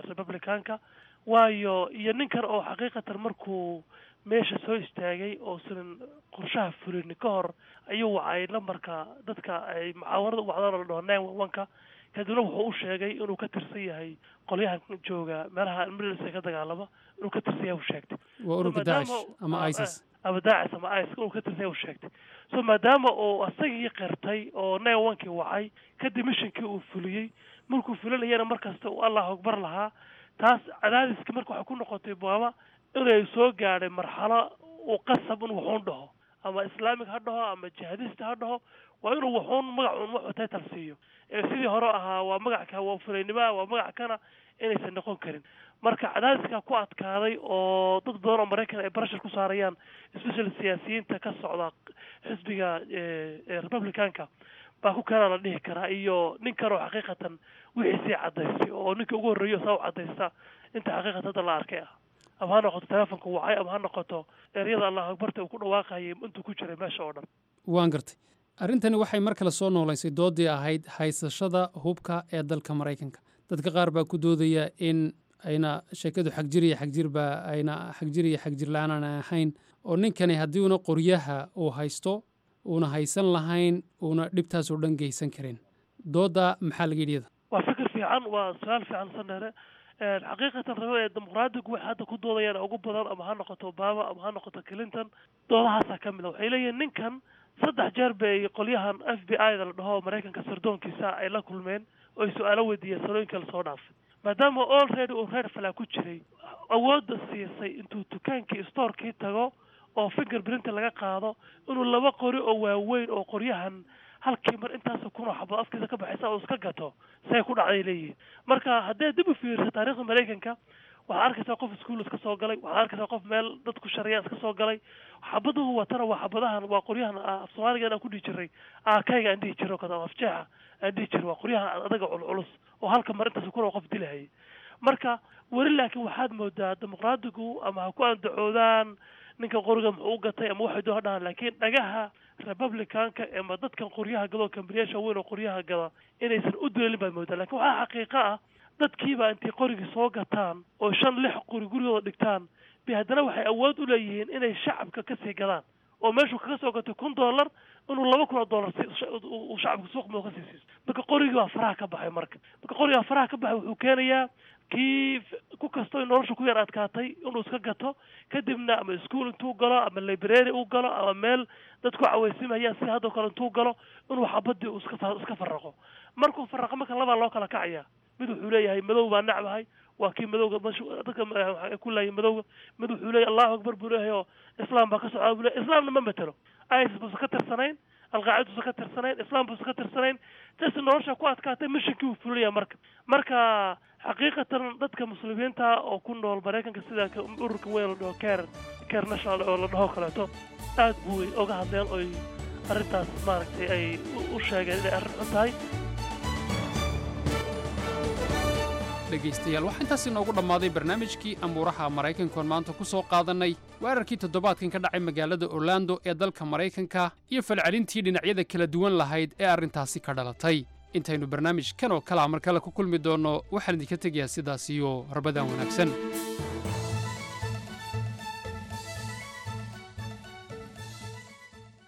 Republicanka. Waayo, iyo ninkan oo xaqiiqatan markuu meesha soo istaagay oosanan qorshaha fulin ka hor ayuu wacay lambarka dadka ay mucaawarada u wacdaan oo la dhaho nine one one-ka. Kadibna wuxuu u sheegay inuu ka tirsan yahay qolyahan jooga meelaha Middle East ka dagaalama inuu ka tirsan yahay uu sheegtay. Waa ururka Daacish ama ISIS. Ama Daacish ama ISIS inuu ka tirsan yahay uu sheegtay. So maadaama uu asagii qirtay oo nine one kii wacay, kadib missionkii uu fuliyey, markuu fulinayana markasta uu "Allahu akbar" lahaa, taas cadaadiska marka waxay ku noqotay Obama inay soo gaadhay marxalo uu qasab in wuxuun dhaho, ama Islamic ha dhaho ama jihadista ha dhaho, waa inuu wuxuun magac un wuxuu title siiyo. Ee sidii hore ahaa waa magac ka waa fulaynima waa magac kana inaysan noqon karin. Marka cadaadiska ku adkaaday oo dad badan oo Maraykan ay pressure ku saarayaan, especially siyaasiyiinta ka socda xisbiga Republicanka, baa ku keenaa la dhihi karaa, iyo nin kanoo xaqiiqatan wixii sii cadaystay oo ninka ugu horreeyo saa u cadaysta inta xaqiiqatan hadda la arkay ah, ama ha noqoto telefonka wacay ama ha noqoto ereyada "Allahu akbarta" uu ku dhawaaqayay intuu ku jiray meesha oo dhan. Waan gartay. Arrintani waxay mar kale soo noolaysay doodii ahayd haysashada hubka ee dalka Maraykanka. Dadka qaar baa ku doodaya in ayna sheekadu xagjir iyo xagjir ba ayna xagjir iyo xagjir la-aan aan ahayn, oo ninkani haddii uuna qoryaha uu haysto uuna haysan lahayn uuna dhibtaas oo dhan geysan karin. Doodda maxaa laga yidhi iyada? Waa fikir fiican, waa su-aal fiican, Sandheere. Xaqiiqatan rabo ee Dimuqraadigu waxay hadda ku doodayaan ugu badan, ama ha noqoto Obama ama ha noqoto Clinton, doodahaasaa ka mid a. Waxay leeyihiin ninkan saddex jeer bay qolyahan F B I da la dhaho Maraykanka sirdoonkiisa ay la kulmeen oo ay su-aalo weydiiyeen sanooyinka lasoo dhaafay. Maadaama already uu reer falaa ku jiray, awoodda siisay intuu dukaankii storekii tago oo fingerprint laga qaado inuu laba qori oo waaweyn oo qoryahan halkii mar intaasoo kun oo xabad afkiisa ka baxaysa oo iska gato, say ku dhacday leeyihiin. Marka haddii dib u fiiriso taariikhda Maraykanka, waxaad arkaysaa qof iskuul iska soo galay, waxaad arkaysaa qof meel dadku shariya iska soo galay. Xabaduhu watana waa xabadahan, waa qoryahan af Soomaaliga aan ku dhihi jiray aakayga aan dhihi jiray oo kale ama afjeexa aan dhihi jiray, waa qoryahan adaga culculus oo halka mar intaas kun oo qof dilahayay. Marka weli laakiin waxaad moodaa Dimuqraadigu ama ha ku andacoodaan ninka qoriga muxuu u gatay ama waxay doon dhahaan, laakiin dhagaha Republicanka ama dadkan qoryaha gado, kambaniyaasha weyn oo qoryaha gada, inaysan u duleelin baad moodaa. Lakin waxaa xaqiiqo ah dadkiiba intay qorigii soo gataan oo shan lix qori gurigooda dhigtaan bay haddana waxay awood u leeyihiin inay shacabka kasii gadaan, oo meeshuu kaga soo gatay kun dollar inuu laba kun oo dollar uu shacabka suuq moo kasii siiso. Marka qorigii baa faraha ka baxay. Marka marka qorigii baa faraha ka baxay, wuxuu keenayaa kii ku kastoo nolosha ku yar adkaatay inuu iska gato, kadibna ama iskuol intuu galo ama library uu galo ama meel dadku cawaysimayaan sida haddoo kale intuu galo inuu xabadii uu iska iska faraqo. Markuu faraqo marka labaa loo kala kacaya. Mid wuxuu leeyahay madow baa nacbahay, waa kii madowga dadka ku laayay madowga. Mid wuxuu leeyahay "Allahu akbar" buu leeyahay oo islaam baa ka socdaa buu leeyahay. Islaamna ma matelo, ISIS buusan ka tirsanayn, Alqaacida buusan ka tirsanayn, islaam buusan ka tirsanayn, tas nolosha ku adkaatay, missionkii uu fulinaya. Marka marka Xaqiiqatan dadka muslimiinta oo ku nool Maraykanka, sida ururka weyn la dhaho CAIR, CAIR National oo la dhaho kaleeto, aad buu oga hadleen oy arrintaas maaragtay ay u sheegeen inay arrin xun tahay. Dhegaystayaal, waxaa intaas inoogu dhammaaday barnaamijkii amuuraha Maraykankoon maanta ku soo qaadannay weerarkii toddobaadkan ka dhacay magaalada Orlando ee dalka Maraykanka iyo falcelintii dhinacyada kala duwan lahayd ee arrintaasi ka dhalatay. Intaynu barnaamijkan oo kalea mar kale ku kulmi doonno, waxaan idinka tegayaa sidaas iyo rabadaan wanaagsan.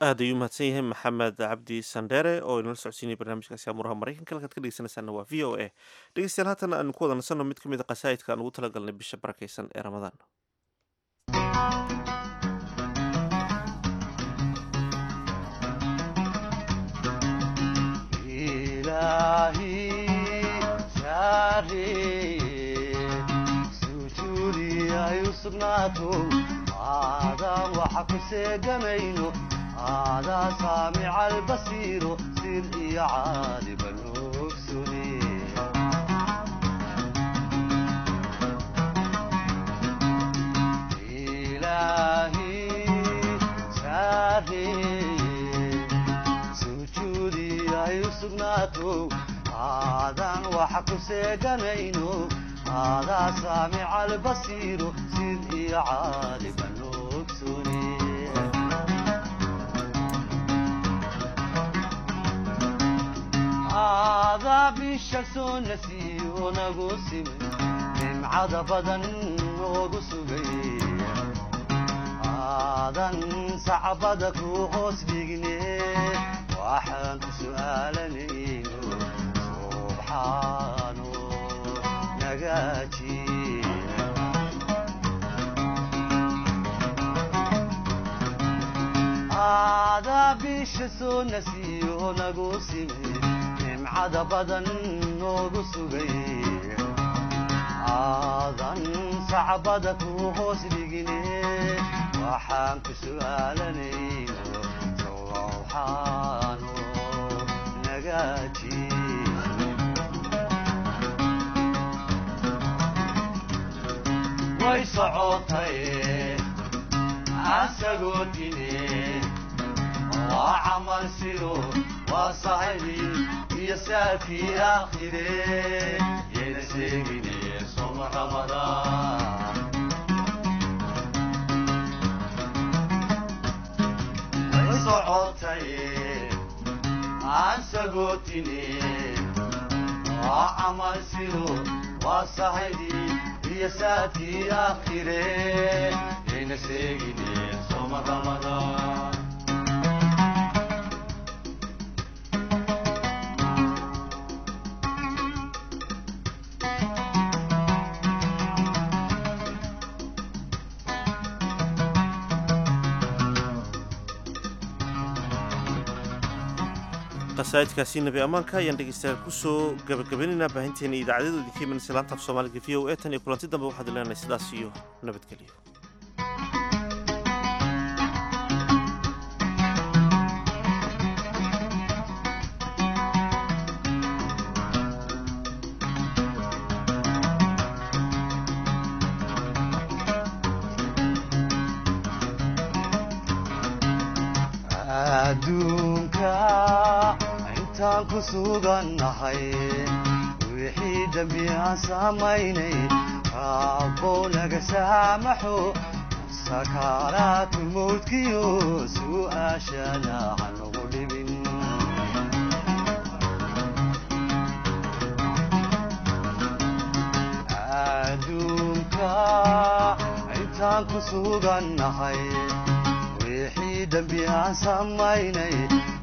Aad ayuu mahadsan yahay Maxamed Cabdi Sandheere oo inala socodsiinaya barnaamijkaasi amuuraha Maraykanka. Halkaad ka dhegeysanaysaana waa V O A. Dhegeystayaal, haatan aanu ku wada nasanno mid ka mid a qasaa'idka aan ugu talagalnay bisha barakaysan ee Ramadaan. هذا سامع البصير سر عالم الأكسني إلهي ساري سجودي أي سجناتو هذا وحق سجنينو هذا سامع البصير سر عالم الأكسني. هذا bisha soo nasiyo nagu simay, nimcada badan noogu sugay, aadan sacbada ku hoos dhigne, waxaan ku su'aalanayno subxaano nagaaji. Aadaa bisha soo nasiyo nagu simay, nimcada badan noogu sugay, aadan sacbada ku hoos dhigine, waxaan ku su'aalanayno sowxaano nagaaji. Way socotay asagoo tine, waa camal sido, waa saxibi iyo saakii aakhire, yayna sheegine soma Ramadaan. Way socotay asagoo tine, waa camal sido, waa saxibi iyo saakii aakhire, yayna sheegine soma Ramadaan. Qasaa'idkaasi nabi ammaanka ayaan dhegeystayaal kusoo gabagabaynaynaa baahinteena idaacadyadu idinka imanaysa laanta af Soomaaliga V O A. Tan iyo kulanti dambe, waxaad leenahay sidaas iyo nabadgelyo. Adduunka intaan ku sugannahay, wixii dembi aan samaynay Rabbow naga saamaxo, sakaaraatu mawdkiyo su'aashana hanagu dhibin. Adduunka intaan ku sugannahay, wixii dembi aan samaynay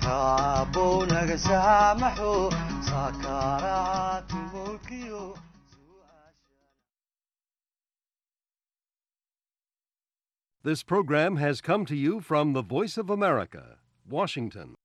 Rabbow naga saamaxo, sakaaraatu mawdkiyo. This program has come to you from the Voice of America, Washington.